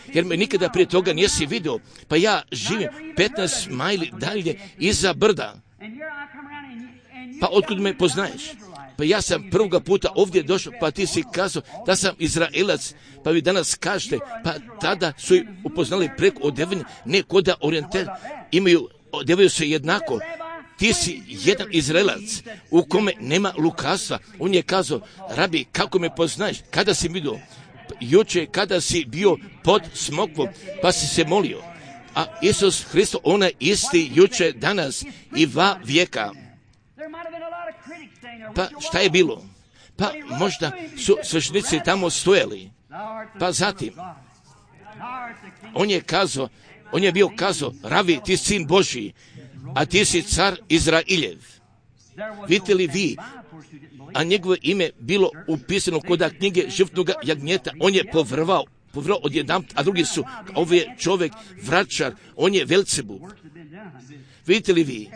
jer me nikada prije toga nisi vidio, pa ja živim 15 majli dalje iza brda. Pa otkud me poznaješ? Pa ja sam prvoga puta ovdje došao, pa ti si kazao da sam Izraelac, pa vi danas kažete, pa tada su i upoznali preko odevanja, ne koda orijentel, odevaju se jednako. Ti si jedan Izraelac u kome nema lukavstva. On je kazao, rabi, kako me poznaješ, kada si vidio? Juče kada si bio pod smokvom, pa si se molio. A Isus Hristo, on je isti juče, danas i va vijeka. Pa šta je bilo? Pa možda su sveštenici tamo stojali. Pa zatim, on je bio kazao, ravi, ti sin Božji, a ti si car Izrailjev. Vidite li vi, a njegovo ime bilo upisano kod knjige žrtvenoga jagnjeta, on je povrvao odjedanput, a drugi su, ovo je čovjek vračar, on je Velcebub. Vidite li vi?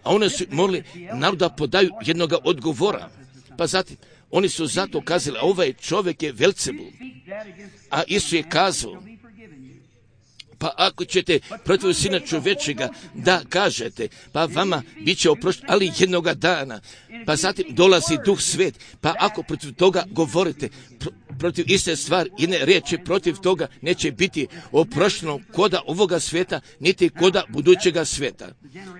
A oni su morali naroda podaju jednoga odgovora. Pa zatim, oni su zato kazali, a ovaj čovjek je Velcebub. A Isus je kazao, pa ako ćete protiv Sina čovječega da kažete, pa vama bit će oprošteno, ali jednoga dana, pa zatim dolazi Duh Svet, pa ako protiv toga govorite, protiv iste stvari, jedne riječi protiv toga neće biti oprošteno koda ovoga svijeta, niti koda budućega svijeta.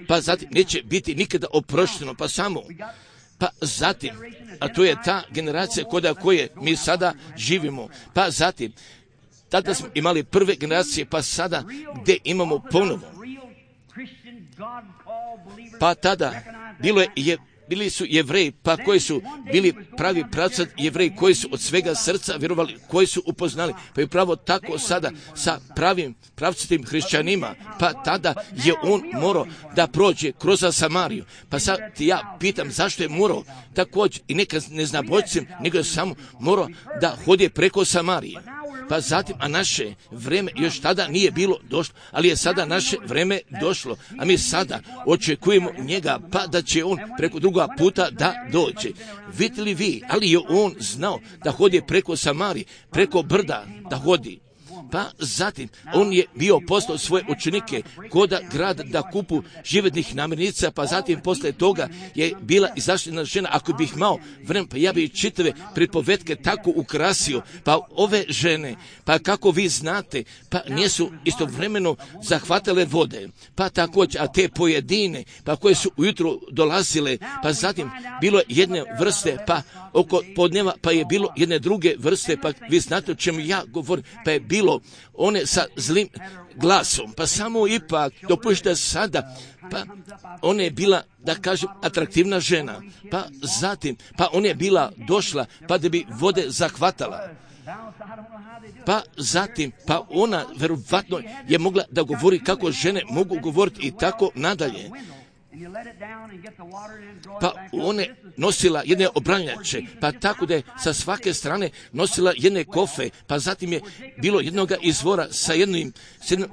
Pa zatim neće biti nikada oprošteno, pa zatim, a to je ta generacija koda koje mi sada živimo, pa zatim, tada smo imali prve generacije, pa sada gdje imamo ponovo. Pa tada bili su Jevreji, pa koji su bili pravi pravcati Jevreji, koji su od svega srca vjerovali, koji su upoznali, pa je pravo tako sada sa pravim pravcatim hrišćanima, pa tada je on morao da prođe kroz Samariju. Pa sad ja pitam zašto je morao također i neka ne zna bojcem, nego je samo morao da hodi preko Samarije. Pa zatim, a naše vreme još tada nije bilo došlo, ali je sada naše vreme došlo, a mi sada očekujemo njega, pa da će on preko druga puta da dođe. Vidite li vi, ali je on znao da hodi preko Samarije, preko brda da hodi. Pa zatim, on je bio poslao svoje učenike koda grada da kupu živednih namirnica, pa zatim posle toga je bila izašljena žena. Ako bih imao vremena, pa ja bih čitave pripovetke tako ukrasio, pa ove žene, pa kako vi znate, pa nisu istovremeno zahvatale vode, pa također, a te pojedine, pa koje su ujutro dolazile, pa zatim bilo jedne vrste, pa oko podneva, pa je bilo jedne druge vrste, pa vi znate o čemu ja govorim, pa je bilo one sa zlim glasom, pa samo ipak dopušte sada, pa ona je bila, da kažem, atraktivna žena, pa zatim, pa ona je bila došla, pa da bi vode zahvatala. Pa zatim, pa ona verovatno je mogla da govori kako žene mogu govoriti i tako nadalje. Pa ona nosila jedne obranjače, pa tako da je sa svake strane nosila jedne kofe, pa zatim je bilo jednoga izvora sa jednim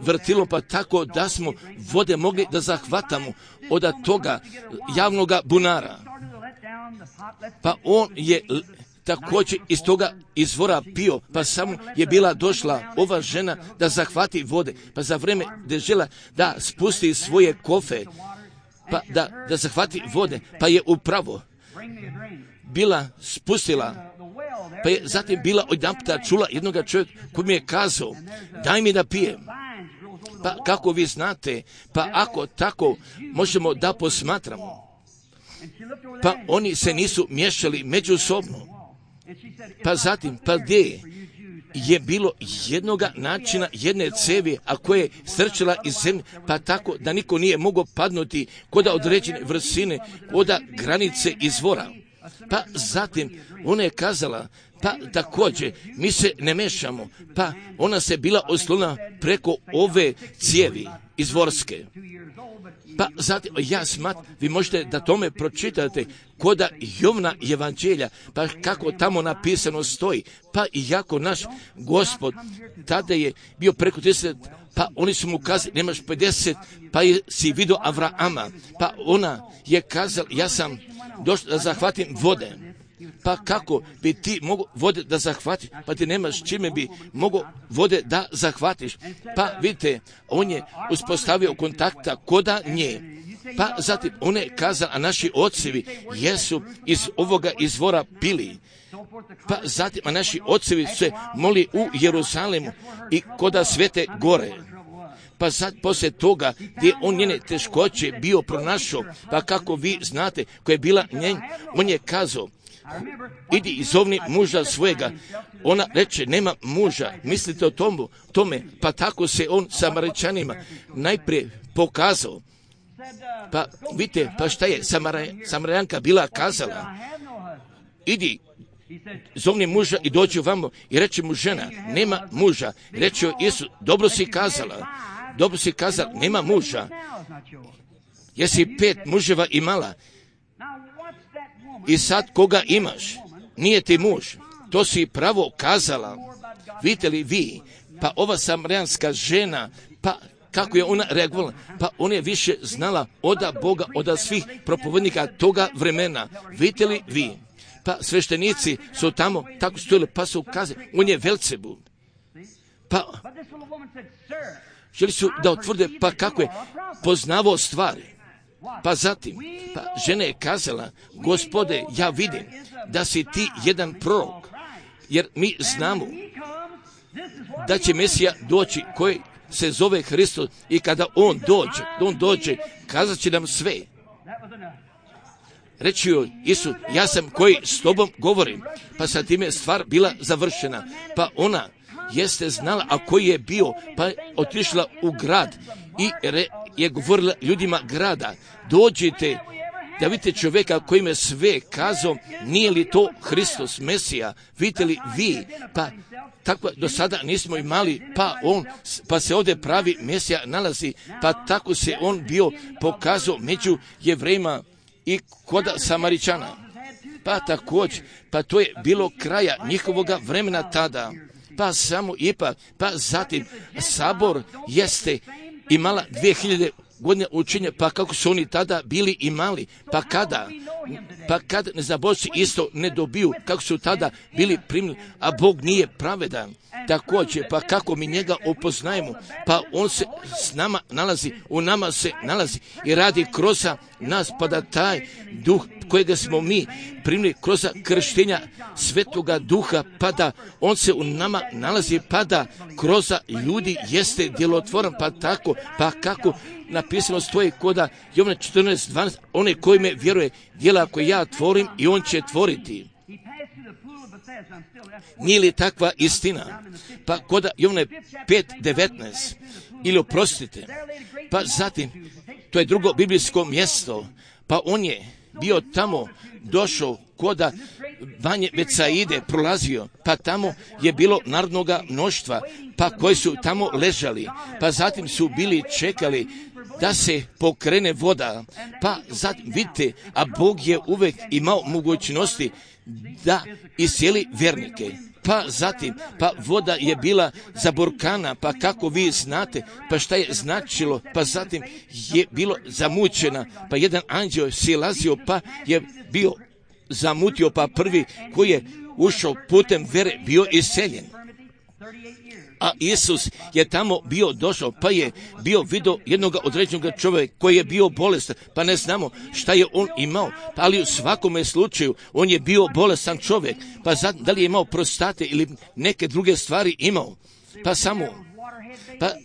vrtilom, pa tako da smo vode mogli da zahvatamo od toga javnoga bunara. Pa on je također iz toga izvora pio, pa samo je bila došla ova žena da zahvati vode, pa za vreme da žela da spusti svoje kofe, pa da zahvati vode, pa je upravo bila spustila, pa je zatim bila odjedanputa čula jednoga čovjeka koji mi je kazao, daj mi da pijem. Pa kako vi znate, pa ako tako možemo da posmatramo, pa oni se nisu miješali međusobno. Pa zatim, pa gdje je bilo jednoga načina, jedne cevi, a koje je strčala iz zemlje, pa tako da niko nije mogao padnuti koda određene vrsine, koda granice izvora. Pa zatim ona je kazala, pa također mi se ne mešamo, pa ona se bila oslonila preko ove cijevi izvorske. Pa zatim, ja smatram, vi možete da tome pročitate koda Jovna evanđelja, pa kako tamo napisano stoji, pa iako naš Gospod tada je bio preko 30, pa oni su mu kazali, nemaš 50, pa si vidio Avrama, pa ona je kazala, ja sam došla da zahvatim vode. Pa kako bi ti mogao vode da zahvatiš, pa ti nemaš čime bi mogao vode da zahvatiš. Pa vidite, on je uspostavio kontakta koda nje. Pa zatim on je kazao, a naši ocevi jesu iz ovoga izvora pili. Pa zatim, a naši ocevi se moli u Jeruzalemu i koda Svete gore. Pa sad poslije toga gdje on njene teškoće bio pronašao, pa kako vi znate koja je bila njen, on je kazao, idi i zovni muža svojega. Ona reče, nema muža, mislite o tome, pa tako se on Samaričanima najprije pokazao. Pa vidite, pa šta je Samarijanka bila kazala? Idi, zovni muža i dođi vamo, i reče mu žena, nema muža. Reče joj Isus, dobro si kazala, nema muža. Jesi 5 muževa imala? I sad koga imaš? Nije ti muž. To si pravo kazala. Vidite li vi? Pa ova samarijanska žena, pa kako je ona reagovala? Pa ona je više znala od Boga, od svih propovednika toga vremena. Vidite li vi? Pa sveštenici su tamo tako stojili, pa su kazali, on je Velcebul. Pa želi su da otvrde, pa kako je poznavao stvari. Pa zatim, pa žena je kazala, Gospode, ja vidim da si ti jedan prorok, jer mi znamo da će Mesija doći koji se zove Hristos i kada on dođe, kazat će nam sve. Reći joj Isus, ja sam koji s tobom govorim, pa sa time je stvar bila završena. Pa ona jeste znala, a koji je bio, pa je otišla u grad i je govorila ljudima grada, dođite da vidite čovjeka kojim je sve kazao, nije li to Hristos, Mesija, vidite li vi, pa tako do sada nismo imali, pa se ovdje pravi Mesija nalazi, pa tako se on bio pokazao među Jevrejima i kod Samaričana. Pa također, pa to je bilo kraja njihovoga vremena tada, pa samo ipak, pa zatim sabor jeste imala 2000 godine učenja, pa kako su oni tada bili imali, pa kada nezabožci isto ne dobiju, kako su tada bili primili, a Bog nije pravedan. Također, pa kako mi njega upoznajemo, pa on se s nama nalazi, u nama se nalazi i radi kroz nas, pa da taj duh kojega smo mi primili kroz krštenja Svetoga Duha, pa da on se u nama nalazi, pa da kroz ljudi jeste djelotvoran, pa tako, pa kako napisano stoji koda Jovana 14:12, one koji me vjeruje, djela koje ja tvorim i on će tvoriti. Nije li takva istina? Pa koda Jovana 5:19, ili oprostite, pa zatim, to je drugo biblijsko mjesto, pa on je bio tamo, došao koda Vanje Betsaide, prolazio, pa tamo je bilo narodnoga mnoštva, pa koji su tamo ležali, pa zatim su bili čekali da se pokrene voda, pa zatim vidite, a Bog je uvek imao mogućnosti da iscijeli vjernike. Pa zatim, pa voda je bila zaburkana, pa kako vi znate, pa šta je značilo, pa zatim je bilo zamućena, pa jedan anđeo silazio, pa je bio zamutio, pa prvi koji je ušao putem vere bio iseljen. A Isus je tamo bio došao, pa je bio vidio jednog određenog čovjeka koji je bio bolestan, pa ne znamo šta je on imao, pa ali u svakome slučaju on je bio bolestan čovjek, pa da li je imao prostate ili neke druge stvari imao, pa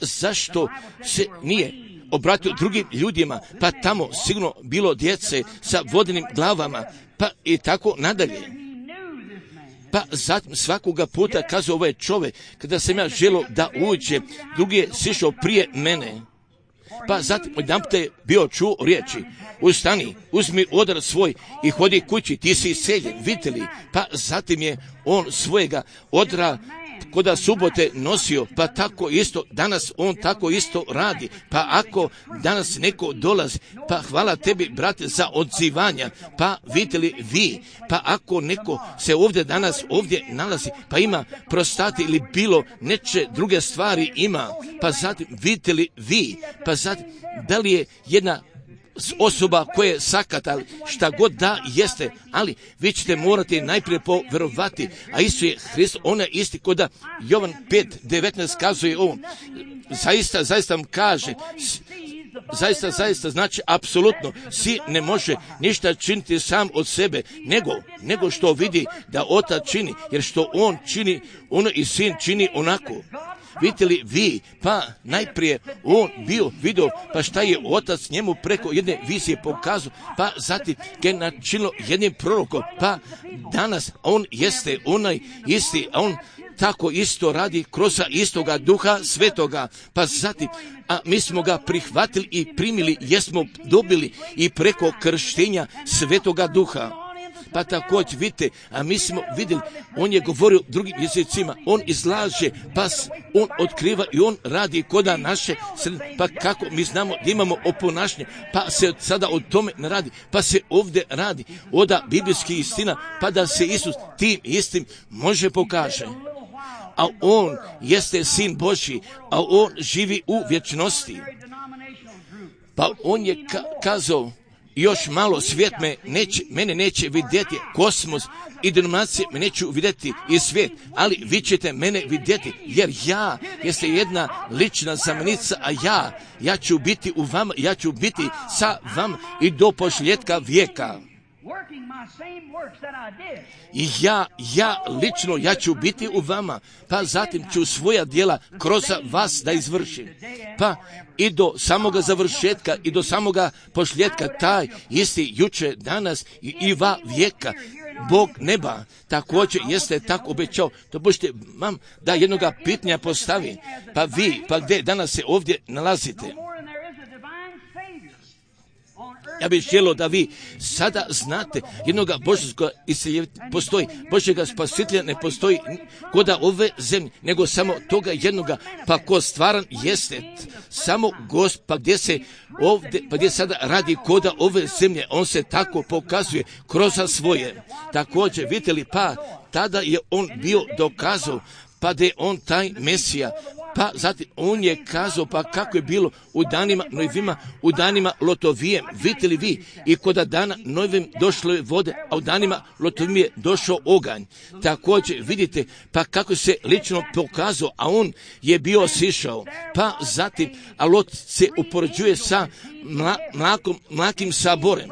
zašto se nije obratio drugim ljudima, pa tamo sigurno bilo djece sa vodenim glavama, pa i tako nadalje. Pa zatim svakoga puta kazao ovaj čovjek, kada sam ja želio da uđe, drugi je sišao prije mene. Pa zatim jedanput je bio čuo riječi, ustani, uzmi odar svoj i hodi kući, ti si iseljen, vidite li? Pa zatim je on svojega odra koda subote nosio, pa tako isto danas on tako isto radi. Pa ako danas neko dolazi, pa hvala tebi brate za odzivanja, pa vidite li vi, pa ako neko se ovdje danas ovdje nalazi, pa ima prostate ili bilo neče druge stvari ima, pa zatim vidite li vi, pa zatim da li je jedna osoba koja je sakata, šta god da jeste, ali vi ćete morati najprije poverovati, a Isus je Hrist, on je isti koda Jovan 5:19 kazuje on, zaista vam kaže, zaista znači apsolutno, si ne može ništa činiti sam od sebe, nego što vidi da Otac čini, jer što on čini, ono i Sin čini onako. Vidite li vi, pa najprije on bio vidio, pa šta je Otac njemu preko jedne vizije pokazao, pa zatim ga je načinilo jednim prorokom, pa danas on jeste onaj isti, a on tako isto radi kroz istoga Duha Svetoga, pa zatim, a mi smo ga prihvatili i primili, jesmo dobili i preko krštenja Svetoga Duha. Pa također vidite, a mi smo vidjeli, on je govorio drugim jezicima, on izlaže, pa on otkriva i on radi koda naše sredine, pa kako mi znamo da imamo oponašnje, pa se sada o tome ne radi, pa se ovdje radi oda biblijskih istina, pa da se Isus tim istim može pokaže. A on jeste Sin Božji, a on živi u vječnosti. Pa on je kazao, još malo svijet mene neće vidjeti, kosmos i denominacije me neću vidjeti i svijet, ali vi ćete mene vidjeti, jer ja jeste jedna lična zamenica, a ja ću biti u vama, ja ću biti sa vama i do posljedka vijeka. I ja lično, ja ću biti u vama, pa zatim ću svoja djela kroz vas da izvršim. Pa i do samoga završetka i do samoga posljedka, taj isti juče, danas i va vijeka, Bog neba također jeste tako obećao. Dopustite vam da jednoga pitanja postavi. Pa vi, pa gdje danas se ovdje nalazite? Ja bih želio da vi sada znate jednoga Božjega postoji, Božjega spasitelja ne postoji koda ove zemlje, nego samo toga jednoga, pa ko stvaran jeste samo Gosp, pa gdje se ovdje, pa gdje sada radi koda ove zemlje, on se tako pokazuje kroz svoje. Također, vidite li, pa tada je on bio dokazao, pa da je on taj Mesija, pa zatim on je kazao, pa kako je bilo u danima Nojevima, u danima Lotovijem, vidite li vi, i koda dana Nojevim došlo je vode, a u danima Lotovim je došao oganj. Također vidite, pa kako se lično pokazao, a on je bio sišao, pa zatim, a Lot se upoređuje sa mlakim saborem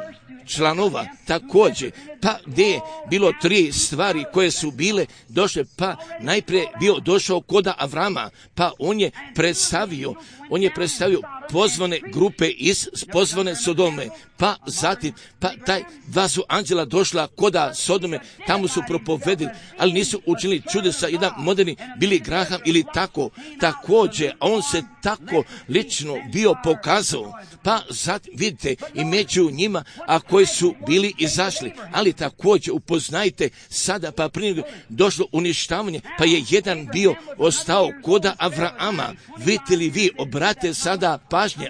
članova, također, pa gdje je bilo 3 stvari koje su bile došle, pa najprije bio došao koda Avrama, pa on je predstavio pozvane grupe iz pozvane Sodome, pa zatim, pa taj 2 su anđela došla koda Sodome, tamo su propovedili, ali nisu učinili čudesa, jedan moderni Billy Graham ili tako, također, on se tako lično bio pokazao, pa zatim vidite i među njima, a koji su bili izašli, ali također upoznajte sada, pa prije došlo uništavanje, pa je jedan bio ostao koda Avrama. Vidite li vi, obrate sada pažnje,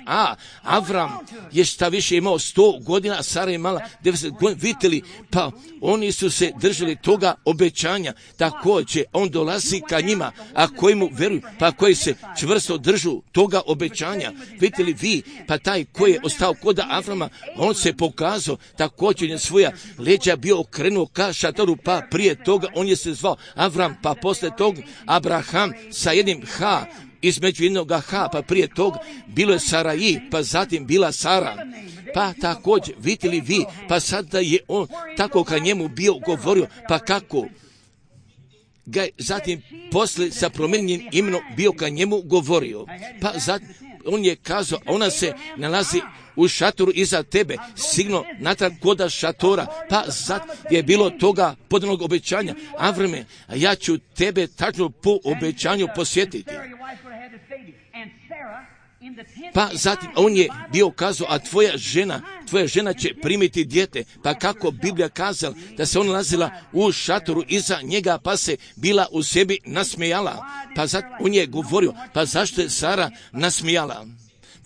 Avram je šta više imao 100 godina, a Sara je imala 90 godina, vidite li, pa oni su se držali toga obećanja, također on dolazi ka njima, a koji mu veruju, pa koji se čvrsto držu toga obećanja. Vidite li vi, pa taj koji je ostao koda Avrama, on se pokazao, također je svoja leđa bio okrenuo ka šatoru, pa prije toga on je se zvao Avram, pa posle toga Abraham sa jednim H, između jednoga H, pa prije toga bilo je Saraji, pa zatim bila Sara. Pa također, vidite li vi, pa sada je on tako ka njemu bio govorio, pa kako ga zatim posle sa promijenjenim imenom bio ka njemu govorio. Pa zatim on je kazao, ona se nalazi u šatoru iza tebe, signo natrag koda šatora, pa sad je bilo toga podanog obećanja. Avrame, ja ću tebe tačno po obećanju posjetiti. Pa zatim on je bio kazao, a tvoja žena će primiti dijete. Pa kako Biblija kazala da se ona nalazila u šatoru iza njega, pa se bila u sebi nasmijala. Pa zatim on je govorio, pa zašto je Sara nasmijala?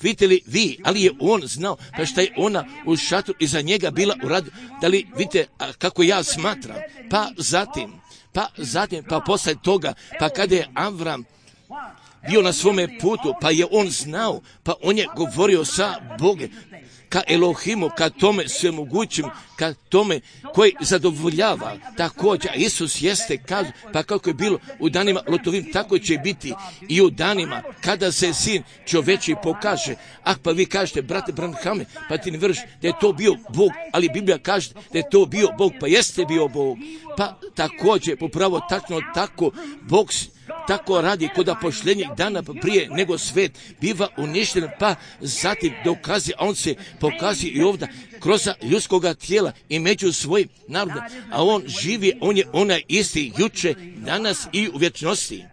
Vidite li vi, ali je on znao, pa šta je ona u šatoru iza njega bila u radu, da li vidite kako ja smatram? Pa zatim, pa posle toga, pa kada je Avram bio na svome putu, pa je on znao, pa on je govorio sa Bogom, ka Elohimu, ka tome svemogućim, ka tome koji zadovoljava. Također, Isus jeste kazao, pa kako je bilo u danima Lotovim, tako će biti i u danima kada se Sin čoveči pokaže. Pa vi kažete, brate Branhame, pa ti ne vjeruješ da je to bio Bog, ali Biblija kaže da je to bio Bog, pa jeste bio Bog. Pa također, popravo tačno tako, Bog tako radi kod pošljenjeg dana prije nego svet biva uništen, pa zatim dokazi, a on se pokazuje i ovdje kroz ljudskoga tijela i među svojim narodom, a on živi, on je onaj isti juče, danas i u vječnosti.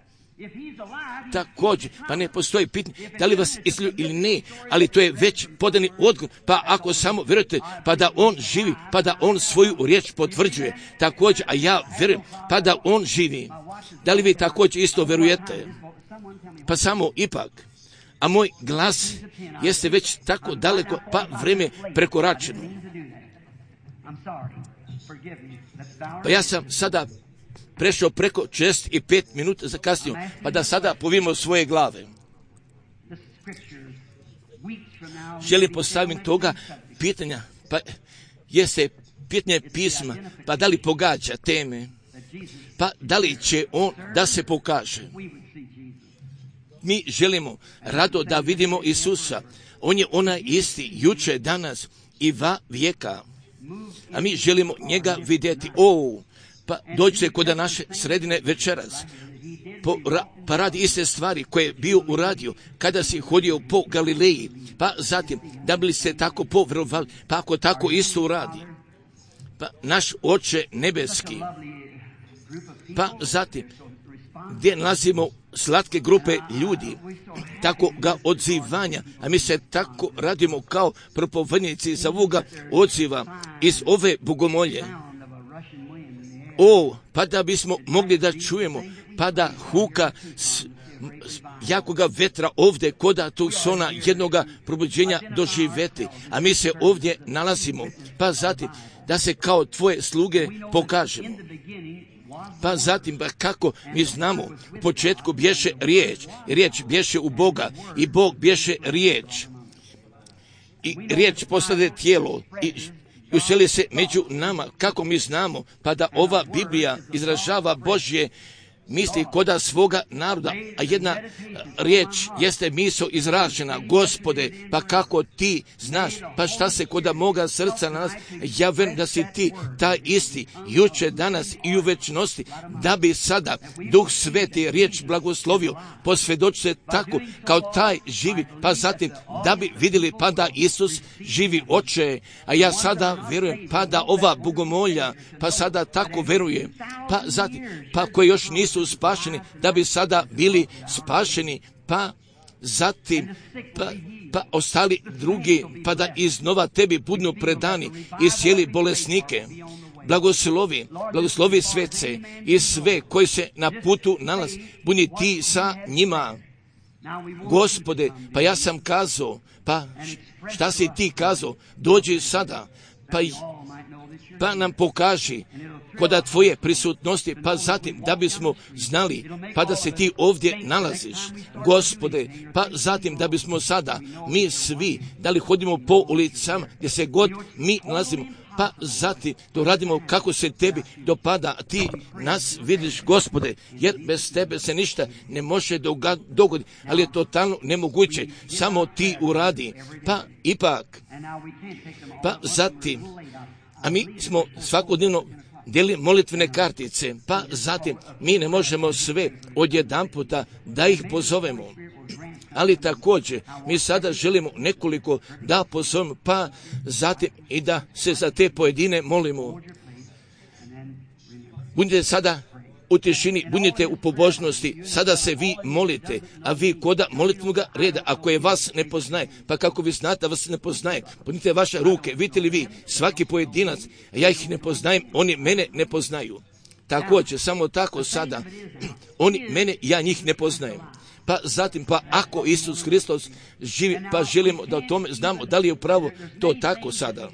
Također, pa ne postoji pitanje da li vas islio ili ne, ali to je već podani odgovor, pa ako samo vjerujete, pa da on živi, pa da on svoju riječ potvrđuje, također, a ja vjerujem, pa da on živi. Da li vi također isto vjerujete? Pa samo ipak, a moj glas jeste već tako daleko, pa vrijeme prekoračeno. Pa ja sam sada prešao preko 65 minuta za kasniju, pa da sada povimo svoje glave. Želim postaviti toga pitanja, Pa jeste pitanje pisma, pa da li pogađa teme, pa da li će on da se pokaže. Mi želimo rado da vidimo Isusa. On je onaj isti, juče, danas i va vijeka. A mi želimo njega vidjeti. Pa dođite kod naše sredine večeras. Pa radi iste stvari koje je bio uradio kada si hodio po Galileji. Pa zatim, da bi ste tako povjerovali, pa ako tako isto uradi. Pa naš Oče nebeski. Pa zatim, gdje nalazimo slatke grupe ljudi, tako ga odzivanja, a mi se tako radimo kao propovednici za ovoga odziva iz ove bogomolje. Pa da bismo mogli da čujemo, pa da huka jakoga vetra ovdje koda tog sona jednoga probuđenja doživeti, a mi se ovdje nalazimo, pa zatim da se kao tvoje sluge pokažemo. Pa zatim, kako mi znamo, u početku bješe riječ bješe u Boga i Bog bješe riječ. I riječ postade tijelo i useli se među nama. Kako mi znamo, pa da ova Biblija izražava Božje misli koda svoga naroda, a jedna riječ jeste misao izražena, Gospode, pa kako ti znaš, pa šta se koda moga srca na nas, ja verujem da si ti taj isti, juče, danas i u večnosti, da bi sada Duh Sveti riječ blagoslovio, posvjedočite tako kao taj živi, pa zatim da bi vidjeli pa da Isus živi, Oče, a ja sada verujem pa da ova bogomolja, pa sada tako veruje, pa zatim, pa koji još nisu spašeni, da bi sada bili spašeni, pa zatim, pa ostali drugi, pa da iznova tebi budnu predani i sjeli bolesnike. Blagoslovi svece i sve koji se na putu nalazi, budi ti sa njima. Gospode, pa ja sam kazao, pa šta si ti kazao, dođi sada, pa nam pokaži koda tvoje prisutnosti, pa zatim da bismo znali, pa da se ti ovdje nalaziš, Gospode, pa zatim da bismo sada, mi svi, da li hodimo po ulicama gdje se god mi nalazimo, pa zatim to radimo kako se tebi dopada, a ti nas vidiš, Gospode, jer bez tebe se ništa ne može dogoditi, ali je totalno nemoguće, samo ti uradi, pa ipak, pa zatim, a mi smo svakodnevno dijeli molitvene kartice, pa zatim mi ne možemo sve odjedanputa da ih pozovemo. Ali također mi sada želimo nekoliko da pozovemo, pa zatim i da se za te pojedine molimo. Budite sada u tišini, budite u pobožnosti, sada se vi molite, a vi koda molitvenoga reda, ako je vas ne poznaje, pa kako vi znate da vas ne poznaje, podnite vaše ruke, vidite li vi, svaki pojedinac, a ja ih ne poznajem, oni mene ne poznaju. Također, samo tako sada, oni mene, ja njih ne poznajem. Pa zatim, pa ako Isus Hristos živi, pa želimo da o tome znamo da li je upravo to tako sada.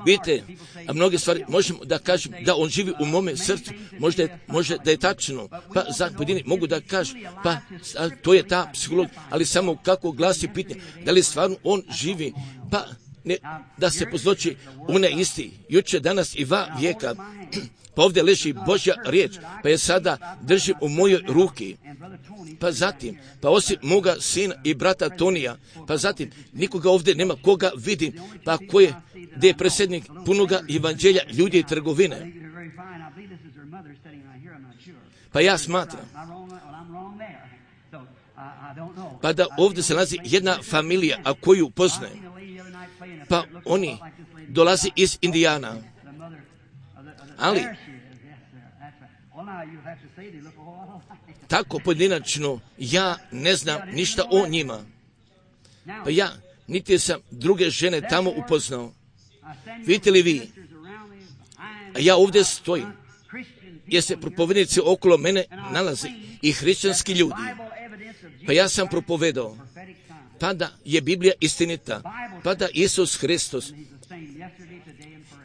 Vidite, a mnoge stvari možemo da kažem da on živi u mome srcu, možda da je tačno, pa za pojedini mogu da kažem, pa to je ta psiholog, ali samo kako glasi pitanje, da li stvarno on živi, pa ne, da se pozloči one isti, juče, danas i va vijeka, pa ovdje leži Božja riječ, pa je sada držim u mojoj ruki, pa zatim, pa osim moga sina i brata Tonija, pa zatim, nikoga ovdje nema koga vidim, pa gdje je predsjednik punoga evanđelja ljudi i trgovine. Pa ja smatram, pa da ovdje se nalazi jedna familija, a koju poznajem, pa oni dolazi iz Indijana, ali tako pojedinačno ja ne znam ništa o njima. Pa ja niti sam druge žene tamo upoznao. Vidite li vi? A ja ovdje stojim, jer se propovednici okolo mene nalaze i hrišćanski ljudi. Pa ja sam propovedao, pa da je Biblija istinita, pa da Isus Hristos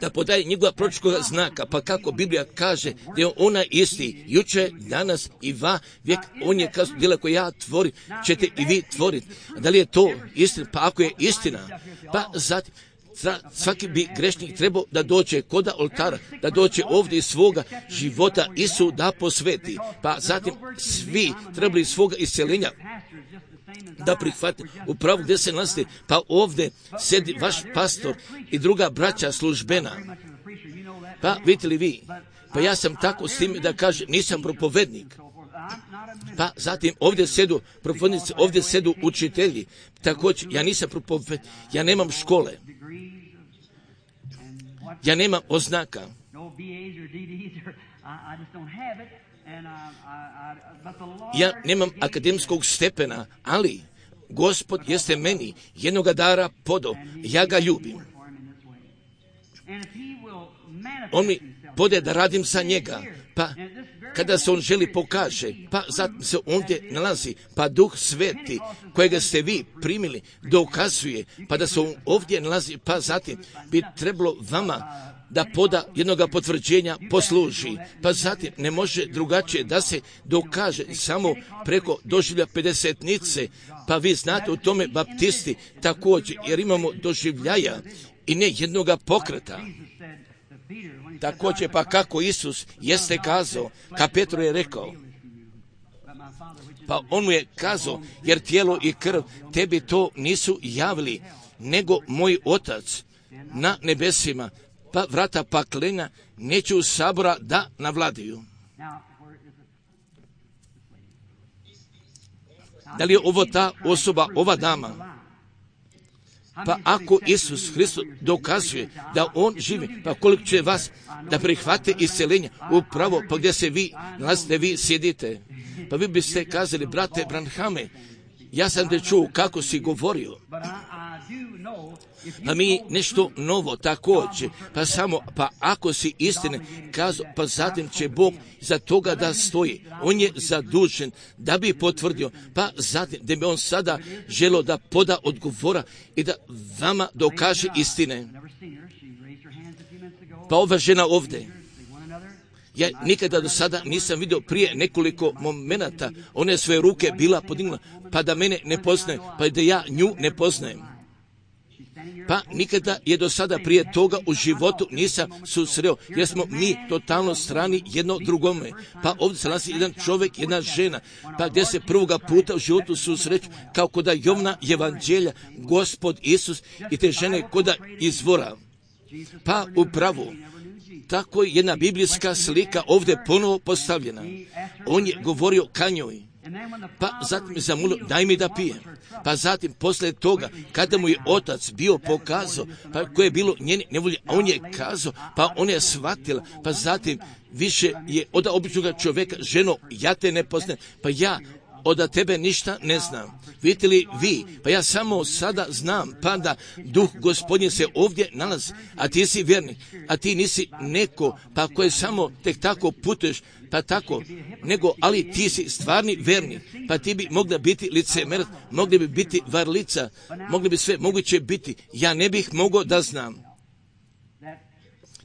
da podaje njegova proročkoga znaka, pa kako Biblija kaže da je ona isti, juče, danas i va vijek, on je kazao, djela koje ja tvorim, ćete i vi tvoriti. Da li je to istina? Pa ako je istina, pa zatim, Svaki bi grešnik trebao da dođe kod oltara, da dođe ovdje iz svoga života Isu da posveti. Pa zatim svi trebali svoga isceljenja da prihvate upravo gdje se nalazite. Pa ovdje sedi vaš pastor i druga braća službena. Pa vidite li vi? Pa ja sam tako s tim da kažem, nisam propovednik. Pa zatim ovdje sedu propovednici, ovdje sedu učitelji. Također, ja nisam propovednik, ja nemam škole. Ja nemam oznaka. Ja nemam akademskog stepena, ali Gospod jeste meni jednoga dara podao, ja ga ljubim. On mi pode da radim za njega, pa kada se on želi pokaže, pa zatim se ovdje nalazi, pa Duh Sveti kojega ste vi primili dokazuje, pa da se on ovdje nalazi, pa zatim bi trebalo vama da poda jednoga potvrđenja posluži. Pa zatim ne može drugačije da se dokaže samo preko doživlja pedesetnice. Pa vi znate u tome baptisti također, jer imamo doživljaja i ne jednoga pokreta. Također pa kako Isus jeste kazao, ka Petru je rekao, pa on mu je kazao, jer tijelo i krv tebi to nisu javili, nego moj Otac na nebesima. Pa vrata paklenja neću sabora da navladaju. Da li je ovo ta osoba, ova dama? Pa ako Isus Hristos dokazuje da on živi, pa koliko će vas da prihvate isceljenje upravo pa gdje se vi nalazite, vi sjedite. Pa vi biste kazali, brate Branhame, ja sam te čuo kako si govorio. Pa mi nešto novo također, pa ako si istine kazao, pa zatim će Bog za toga da stoji. On je zadužen da bi potvrdio, pa zatim da bi on sada želio da poda odgovora i da vama dokaže istine. Pa ova žena ovdje, ja nikada do sada nisam vidio prije nekoliko momenata, ona je svoje ruke bila podignula, pa da mene ne poznaje, pa da ja nju ne poznajem. Pa nikada je do sada prije toga u životu nisam susreo, jer smo mi totalno strani jedno drugome. Pa ovdje se nalazi jedan čovjek, jedna žena, pa gdje se prvoga puta u životu susreću, kao koda Jovna evanđelja, Gospod Isus i te žene koda izvora. Pa upravo, tako je jedna biblijska slika ovdje ponovo postavljena. On je govorio ka njoj. Pa zatim je zamolio, daj mi da pijem. Pa zatim poslije toga, kada mu je Otac bio pokazao, pa koje je bilo njene nevolje, a on je kazao, pa ona je shvatila, pa zatim više je od običnog čovjeka, ženo, ja te ne poznajem, pa ja od tebe ništa ne znam. Vidite li vi, pa ja samo sada znam, pa da Duh Gospodnje se ovdje nalazi, a ti si vjernik, a ti nisi neko, pa koje samo tek tako putuješ, pa tako, nego, ali ti si stvarni vernik, pa ti bi mogla biti licemerac, mogli bi biti varlica, mogli bi sve moguće biti, ja ne bih mogao da znam.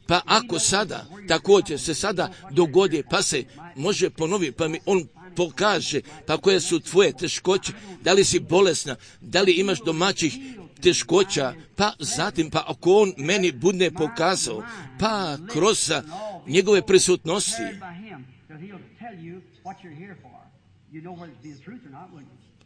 Pa ako sada, također se sada dogodi, pa se može ponoviti, pa mi on pokaže, pa koje su tvoje teškoće, da li si bolesna, da li imaš domaćih teškoća, pa zatim, pa ako on meni bude pokazao, pa kroz njegove prisutnosti,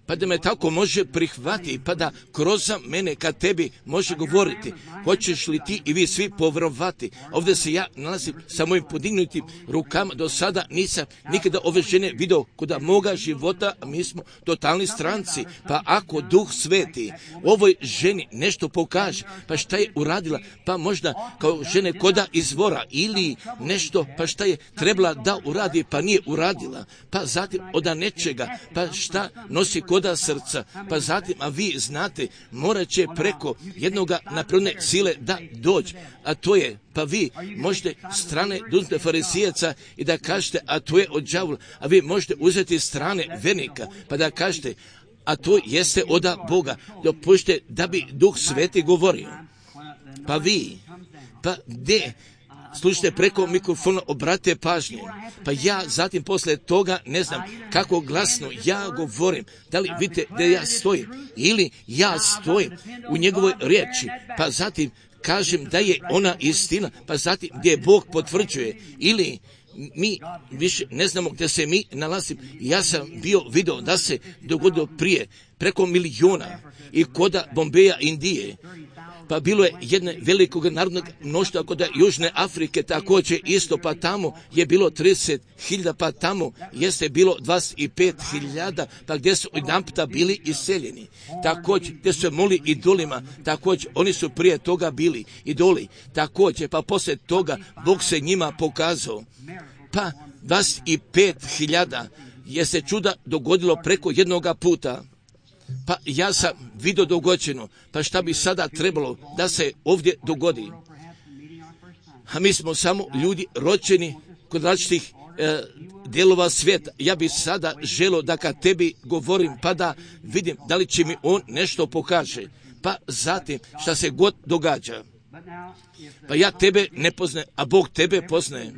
pa da me tako može prihvatiti, pa da kroz mene kad tebi može govoriti, hoćeš li ti i vi svi povjerovati. Ovdje se ja nalazim sa mojim podignutim rukama, do sada nisam nikada ove žene vidio kod moga života, a mi smo totalni stranci. Pa ako Duh Sveti ovoj ženi nešto pokaže, pa šta je uradila, pa možda kao žene koda izvora ili nešto, pa šta je trebala da uradi, pa nije uradila, pa zatim od nečega, pa šta nosi koda srca, pa zatim, a vi znate, morat će preko jednoga napredne sile da dođe, a to je, pa vi možete strane duzmete farisejaca i da kažete, a to je od đavola, a vi možete uzeti strane vernika, pa da kažete, a to jeste od Boga, dopušte da bi Duh Sveti govorio. Pa vi, pa gdje? Slušajte preko mikrofona, obratite pažnje. Pa ja zatim posle toga ne znam kako glasno ja govorim. Da li vidite da ja stojim ili ja stojim u njegovoj riječi. Pa zatim kažem da je ona istina, pa zatim gdje Bog potvrđuje, ili mi više ne znamo gdje se mi nalazimo. Ja sam vidio da se dogodilo prije preko miliona i koda Bombeja, Indije. Pa bilo je jedne velikog narodnog mnoštva kod Južne Afrike, također isto, pa tamo je bilo 30.000, pa tamo jeste bilo 25.000, pa gdje su jedanputa bili iseljeni. Također gdje su molili idolima, također oni su prije toga bili idoli, također pa poslije toga Bog se njima pokazao. Pa 25.000 je se čuda dogodilo preko jednoga puta. Pa ja sam vidio dogođeno, pa šta bi sada trebalo da se ovdje dogodi? A mi smo samo ljudi rođeni kod različitih dijelova svijeta. Ja bi sada želio da kad tebi govorim, pa da vidim da li će mi on nešto pokaže. Pa zatim šta se god događa. Pa ja tebe ne poznajem, a Bog tebe poznaje.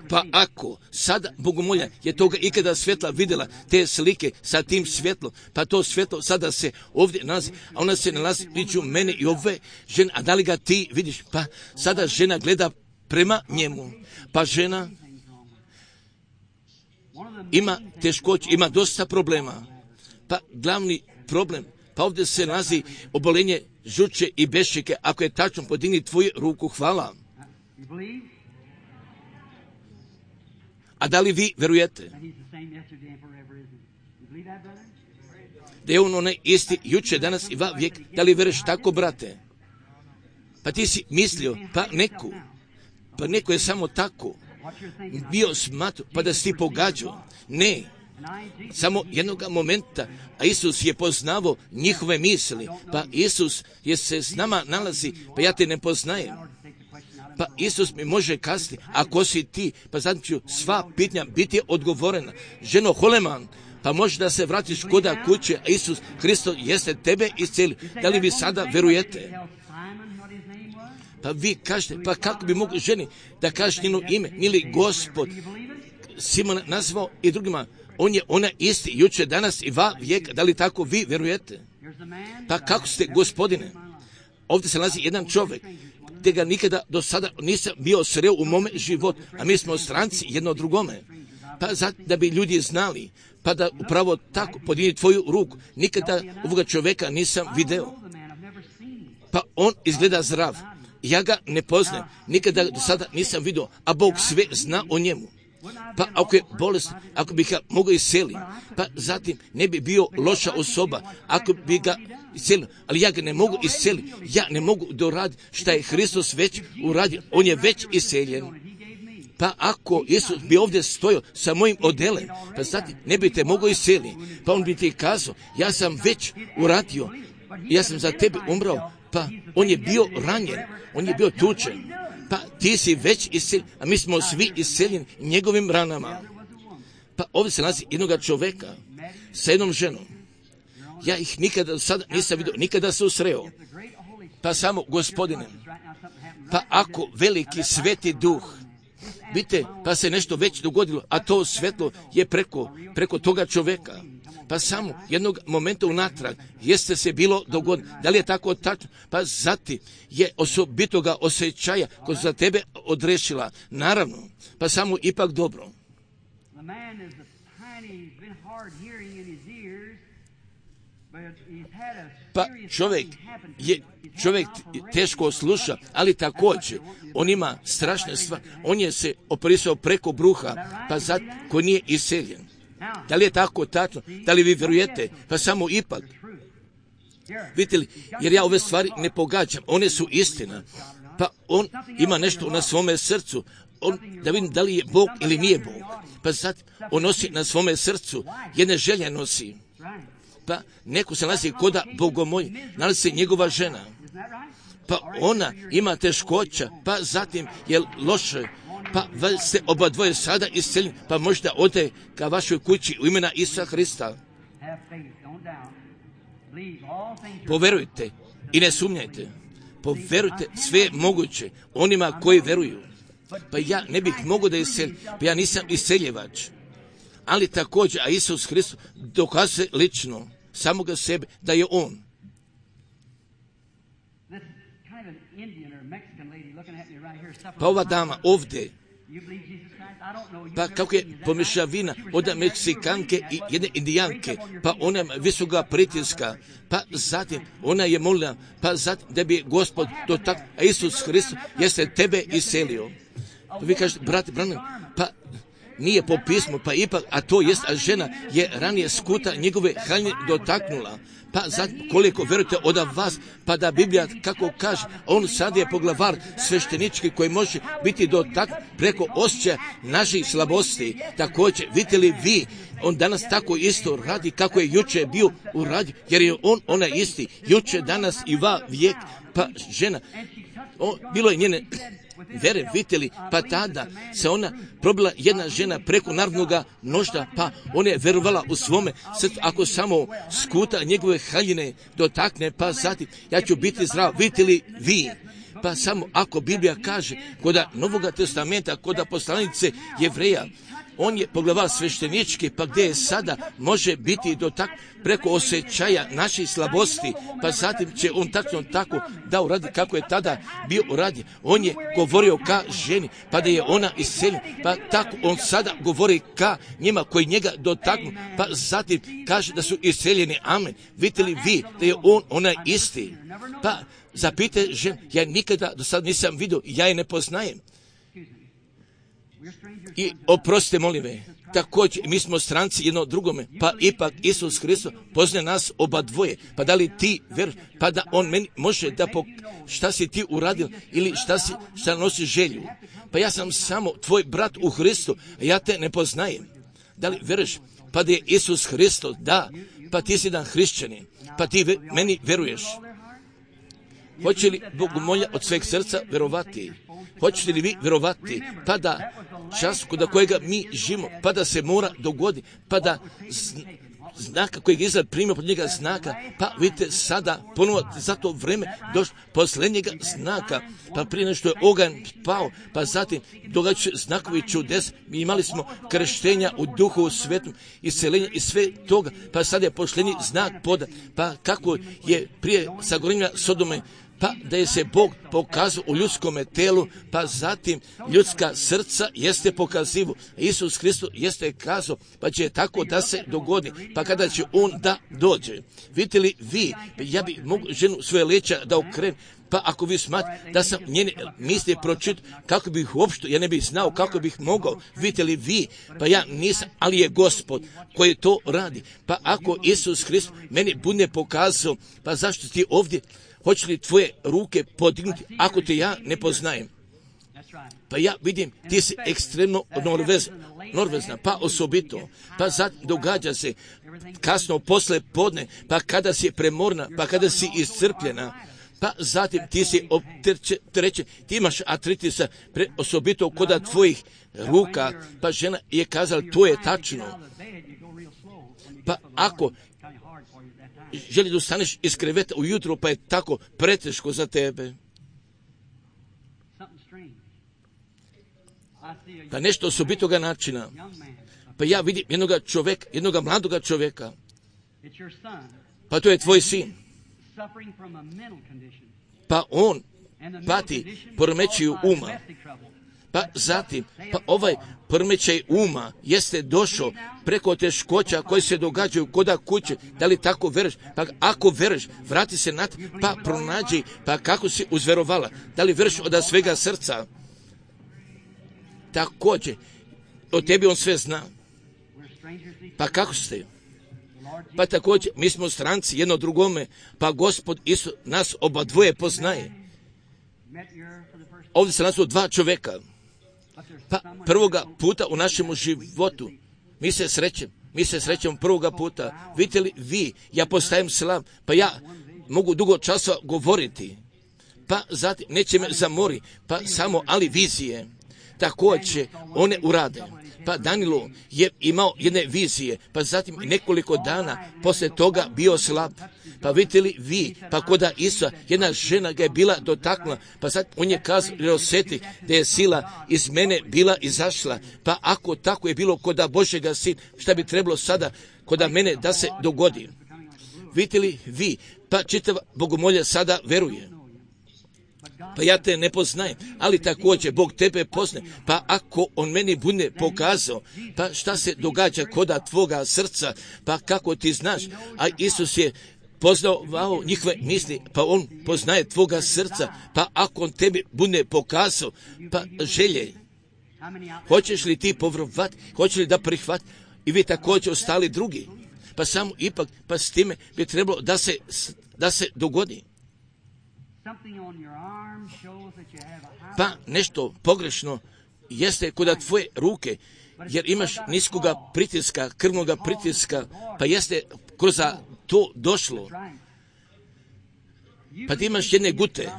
Pa ako sada Bogomolja je toga ikada svjetla vidjela, te slike sa tim svjetlom, pa to svjetlo sada se ovdje nalazi, a ona se nalazi među mene i ove žene, a da li ga ti vidiš? Pa sada žena gleda prema njemu, pa žena ima teškoće, ima dosta problema, pa glavni problem, pa ovdje se nalazi obolenje žuče i bešike. Ako je tačno, podigni tvoju ruku, hvala. A da li vi verujete da je on onaj isti juče, danas i vijek? Da li veruješ tako, brate? Pa ti si mislio, pa neko je samo tako bio smatru, pa da si ti pogađao. Ne, samo jednog momenta, a Isus je poznavao njihove misli, pa Isus je se s nama nalazi, pa ja te ne poznajem. Pa Isus mi može kazati, ako si ti, pa zatim ću sva pitanja biti odgovorena. Ženo Holeman, pa možeš da se vratiš koda kuće, a Isus Hristos jeste tebe iscelio. Da li vi sada verujete? Pa vi kažete, pa kako bi mogli ženi da kažeš njeno ime? Mili Gospod Simona nazvao i drugima, on je ona isti, juče, danas i vijek. Da li tako vi verujete? Pa kako ste, Gospodine? Ovdje se nalazi jedan čovjek, gdje ga nikada do sada nisam bio sreo u mome životu, a mi smo stranci jedno drugome. Pa da bi ljudi znali, pa da upravo tako podigni tvoju ruku. Nikada ovoga čovjeka nisam video. Pa on izgleda zdrav. Ja ga ne poznajem, nikada do sada nisam vidio, a Bog sve zna o njemu. Pa ako je bolest, ako bi ga mogao iseliti, pa zatim ne bi bio loša osoba, ako bi ga iselio, ali ja ga ne mogu iseliti, ja ne mogu doraditi šta je Hristos već uradio, on je već iseljen. Pa ako Isus bi ovdje stojao sa mojim odelem, pa zatim ne bi te mogao iseliti, pa on bi ti kazao, ja sam već uradio, ja sam za tebe umrao, pa on je bio ranjen, on je bio tučen. Pa ti si već iseljen, a mi smo svi iseljeni njegovim ranama. Pa ovdje se nalazi jednoga čovjeka sa jednom ženom. Ja ih nikada do sada nisam vidio, nikada se usreo. Pa samo, Gospodine, pa ako veliki sveti duh, vidite, pa se nešto već dogodilo, a to svetlo je preko toga čovjeka. Pa samo jednog momenta unatrag jeste se bilo dogodilo. Da li je tako tačno? Pa zatim je osobitoga osjećaja koja za tebe odrešila. Naravno, pa samo ipak dobro. Pa čovjek teško sluša, ali također on ima strašne stvari. On je se operisao preko bruha, pa zato koji nije iseljen. Da li je tako tačno? Da li vi vjerujete? Pa samo ipak. Vidite li, jer ja ove stvari ne pogađam, one su istina. Pa on ima nešto na svome srcu, da vidim da li je Bog ili nije Bog. Pa sad on nosi na svome srcu, jedne želje nosi. Pa neko se nalazi koda Bogomolj, nalazi se njegova žena. Pa ona ima teškoća, pa zatim je loše, pa ste oba dvoje sada isceljeni, pa možda ode ka vašoj kući u imena Isusa Hrista. Poverujte i ne sumnjajte. Poverujte, sve je moguće onima koji veruju. Pa ja ne bih mogao da iseljim, pa ja nisam iseljevač. Ali također, a Isus Hristos dokazuje lično samoga sebe da je on. Pa ova dama ovdje, pa kako je pomješavina od Meksikanke i jedne Indijanke, pa ona visoka pritiska, pa zatim ona je molila, pa zatim da bi Gospod dotaknuo, a Isus Hristos jeste tebe iselio. Vi kažete, brate Branham, pa nije po pismu, pa ipak, a to jest, a žena je ranije skuta njegove haljine dotaknula. Pa zatim, koliko verujete od vas, pa da Biblija, kako kaže, on sad je poglavar sveštenički koji može biti dotaknut preko osjećaja naših slabosti. Također, vidite li vi, on danas tako isto radi kako je juče bio u radi, jer je ona isti, juče, danas i vijek, pa žena, bilo je njene vere, vidite li, pa tada se ona probila jedna žena preko narodnoga nožda, pa ona je verovala u svome srcu, ako samo skuta njegove haljine dotakne, pa zatim ja ću biti zdrav, vidite li vi, pa samo ako Biblija kaže kod Novoga testamenta, kod poslanice Jevreja, on je poglavar sveštenički, pa gdje je sada može biti dotaknut preko osjećaja naših slabosti, pa zatim će on tako da uradi kako je tada bio uradio. On je govorio ka ženi, pa da je ona iseljena, pa tako on sada govori ka njima koji njega dotaknu, pa zatim kaže da su iseljeni. Amen. Vidite li vi da je ona isti? Pa zapite ženu, ja nikada do sad nisam vidio, ja je ne poznajem. I oprostite, molim me, također mi smo stranci jedno drugome, pa ipak Isus Hristos poznaje nas oba dvoje, pa da li ti veruješ, pa da on meni može da šta si ti uradio ili šta nosi želju. Pa ja sam samo tvoj brat u Hristu, a ja te ne poznajem. Da li veruješ, pa da je Isus Hristos, da, pa ti si jedan hrišćanin, pa ti meni veruješ. Hoće li Bogomolja od sveg srca verovati? Hoćete li vi verovati, pa da čas kod kojega mi živimo, pa da se mora dogoditi, pa da znaka kojeg Izrael primio pod njega znaka, pa vidite sada ponovo za to vreme došlo posljednjega znaka, pa prije nešto je oganj pao, pa zatim događaju znakovi čudes, mi imali smo krštenja u Duhu Svetom, iseljenja i sve toga, pa sad je posljednji znak podan, pa kako je prije sagorenja Sodome, pa da je se Bog pokazao u ljudskome telu, pa zatim ljudska srca jeste pokazivo. Isus Hristos jeste kazao, pa će tako da se dogodi, pa kada će on da dođe. Vidite li vi, ja bi mogu ženu svoje leđa da okrenem, pa ako vi smatrate da sam njene misli pročitao, kako bih uopšte, ja ne bih znao kako bih mogao, vidite li vi, pa ja nisam, ali je Gospod koji to radi. Pa ako Isus Hristos meni bude pokazao, pa zašto ti ovdje, hoće li tvoje ruke podignuti ako te ja ne poznajem? Pa ja vidim, ti si ekstremno norvezna, pa osobito, pa zatim događa se kasno posle podne, pa kada si premorna, pa kada si iscrpljena, pa zatim ti si opterećen, ti imaš artritisa, osobito kod tvojih ruka, pa žena je kazala, to je tačno. Pa ako želi da ustaneš iz kreveta ujutro, pa je tako preteško za tebe. Pa nešto osobitoga načina. Pa ja vidim jednoga mladoga čovjeka. Pa to je tvoj sin. Pa on pati poremećaju uma. Pa zatim, pa ovaj poremećaj uma jeste došao preko teškoća koje se događaju koda kuće. Da li tako veruješ? Pa ako veruješ, vrati se na pa pronađi, pa kako si uzverovala. Da li veruješ od svega srca? Također, od tebi on sve zna. Pa kako ste? Pa također, mi smo stranci jedno drugome, pa Gospod Isus nas oba dvoje poznaje. Ovdje se nas dva čovjeka. Pa prvoga puta u našemu životu mi se srećemo prvoga puta. Vidite li vi, ja postajem slav, pa ja mogu dugo časa govoriti, pa zatim neće me zamori, pa samo ali vizije. Također one urade. Pa Danilo je imao jedne vizije, pa zatim nekoliko dana poslije toga bio slab. Pa vidite li vi, pa koda Isusa, jedna žena ga je bila dotaknula, pa sad on je kazao i osjeti da je sila iz mene bila izašla. Pa ako tako je bilo koda Božjega Sina, šta bi trebalo sada koda mene da se dogodi? Vidite li vi, pa čitava Bogomolja sada veruje. pa ja te ne poznajem, ali također Bog tebe poznaje, pa ako on meni bude pokazao, pa šta se događa koda tvoga srca, pa kako ti znaš, a Isus je poznao njihove misli, pa on poznaje tvoga srca, pa ako on tebi bude pokazao, pa želje, hoćeš li ti povjerovati, hoćeš li da prihvati, i vi također ostali drugi, pa samo ipak, pa s time bi trebalo da se dogodi. Pa nešto pogrešno jeste kod tvoje ruke, jer imaš niskoga pritiska, krvnoga pritiska, pa jeste kroz to došlo. Pa ti imaš jedne gute,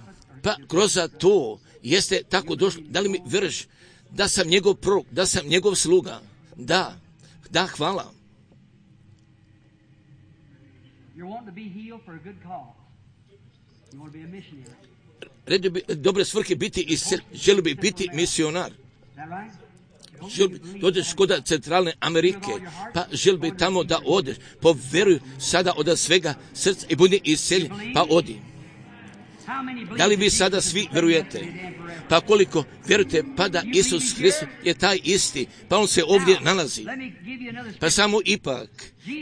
pa kroz to jeste tako došlo. Da li mi vjeruješ da sam njegov prorok, da sam njegov sluga? Da, hvala. Redio bi dobre svrhe biti i želi bi biti misionar. Odeš kod Centralne Amerike, pa želi bi tamo da odeš, povjeruj sada od svega srca i budi iseljen, pa odi. Da li vi sada svi vjerujete? Pa koliko vjerujete, pa da Isus Hristos je taj isti, pa on se ovdje nalazi. Pa samo ipak,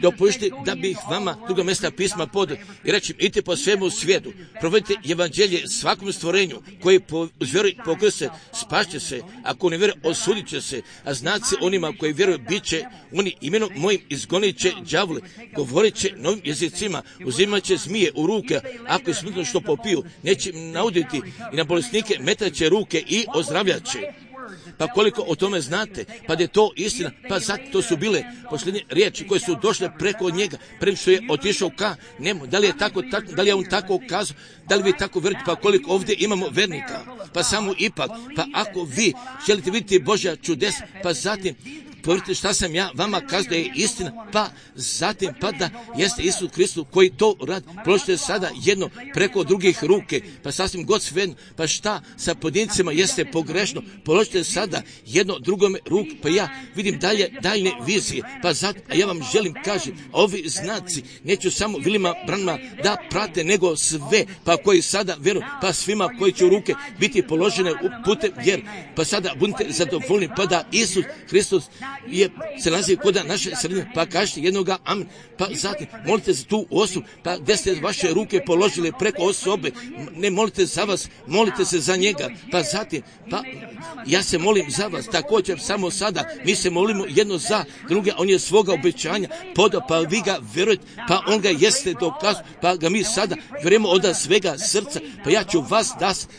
dopustite da bih vama druga mjesta pisma podao i reći, idite po svemu svijetu, provedite evanđelje svakom stvorenju koji vjeruje pokrste, spašće se, ako ne vjeruje, osudit će se, a znat se onima koji vjeruju, bit će oni imenom mojim izgonit će đavle, govorit će novim jezicima, uzimat će zmije u ruke, ako je smrtno što popiju, neće nauditi i na bolesnike metat će ruke i ozdravljat će. Pa koliko o tome znate, pa da je to istina, pa zato to su bile posljednje riječi koje su došle preko njega, prema što je otišao ka njemu. Da li je tako, da li je on tako kazao, da li vi tako vjerujete, pa koliko ovdje imamo vernika, pa samo ipak, pa ako vi želite vidjeti Božja čudes, pa zatim povjerite šta sam ja vama kazao da je istina, pa zatim pa da jeste Isus Hristos koji to radi. Položite sada jedno preko drugih ruke, pa sasvim god svejedno, pa šta sa pojedincima jeste pogrešno, položite sada jedno drugome ruku, pa ja vidim daljne vizije, pa zato, a ja vam želim kažem, ovi znaci neću samo Vilima Branhama da prate, nego sve, pa koji sada vjeruju, pa svima koji će u ruke biti položene u putem vjer, pa sada budite zadovoljni, pa da Isus Hristos se nalazi kod naše sredine, pa kažete jednoga amen, pa zatim molite za tu osobu, pa gdje ste vaše ruke položile preko osobe, ne molite za vas, molite se za njega, pa zatim, pa ja se molim za vas, također samo sada, mi se molimo jedno za druge, on je svoga obećanja podao, pa vi ga vjerujete, pa on ga jeste dokazao, pa ga mi sada vjerujemo od svega srca, pa ja ću vas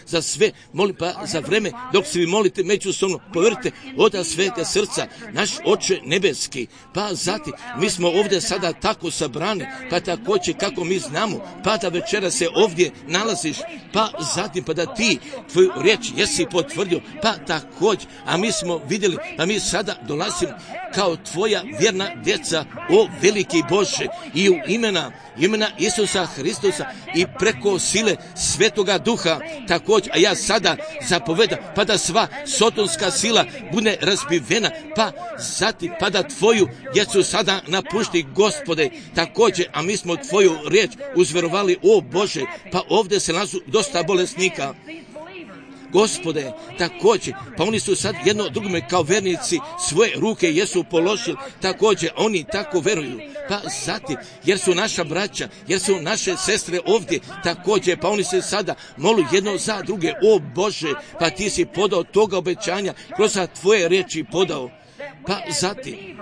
za sve molim, pa za vreme dok se vi molite međusobno, povjerite od svega srca, naš Oče nebeski, pa zatim mi smo ovdje sada tako sabrani, pa također kako mi znamo, pa da večera se ovdje nalaziš, pa zatim pa da ti tvoju riječ jesi potvrdio, pa također, a mi smo vidjeli, pa mi sada dolazimo kao tvoja vjerna djeca, o veliki Bože, i u imena Isusa Hristosa i preko sile Svetoga Duha, također, a ja sada zapovedam, pa da sva sotonska sila bude razbivena, pa zatim, pa da tvoju djecu sada napušti, Gospode, također, a mi smo tvoju riječ uzverovali, o Bože, pa ovdje se nalazu dosta bolesnika, Gospode, također, pa oni su sad jedno drugome kao vernici svoje ruke jesu položili, također, oni tako veruju, pa zatim, jer su naša braća, jer su naše sestre ovdje, također, pa oni se sada molu jedno za druge, o Bože, pa ti si podao toga obećanja, kroz tvoje riječi podao, pa zatim,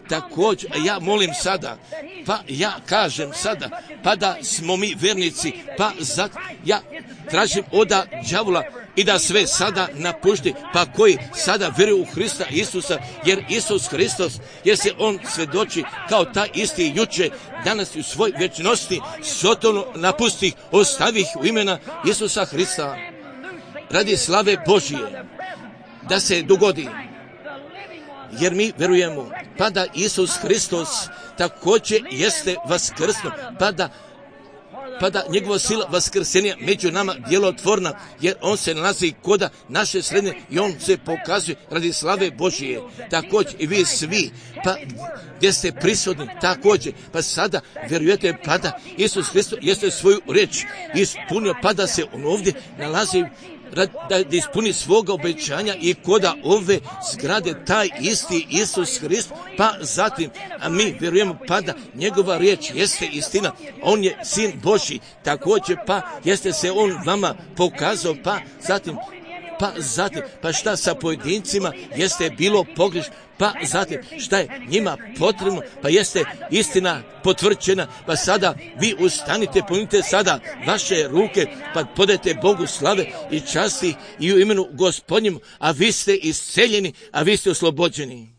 također, ja molim sada, pa ja kažem sada, pa da smo mi vernici, pa zato ja tražim od đavola i da sve sada napušti, pa koji sada vjeruju u Hrista Isusa, jer Isus Hristos, jer se on svjedoči kao taj isti juče, danas u svoj vječnosti, sotonu napustih, ostavih u imena Isusa Hrista, radi slave Božije, da se dogodi. Jer mi vjerujemo, pa da Isus Hristos također jeste vaskrsno, pa da pada njegova sila vaskrsenja među nama djelotvorna, jer on se nalazi koda naše sredine i on se pokazuje radi slave Božije. Također i vi svi, pa gdje ste prisutni, također, pa sada vjerujete pa da Isus Hristos jeste svoju riječ ispunio, pa da se on ovdje nalazi da ispuni svoga obećanja i koda ove zgrade taj isti Isus Hrist, pa zatim, a mi vjerujemo pa da njegova riječ jeste istina, on je Sin Božji, također pa jeste se on vama pokazao, pa zatim, pa šta sa pojedincima jeste bilo pogrešno, pa zatim šta je njima potrebno, pa jeste istina potvrđena, pa sada vi ustanite, ponite sada vaše ruke, pa podajte Bogu slave i časti i u imenu Gospodnjemu, a vi ste isceljeni, a vi ste oslobođeni.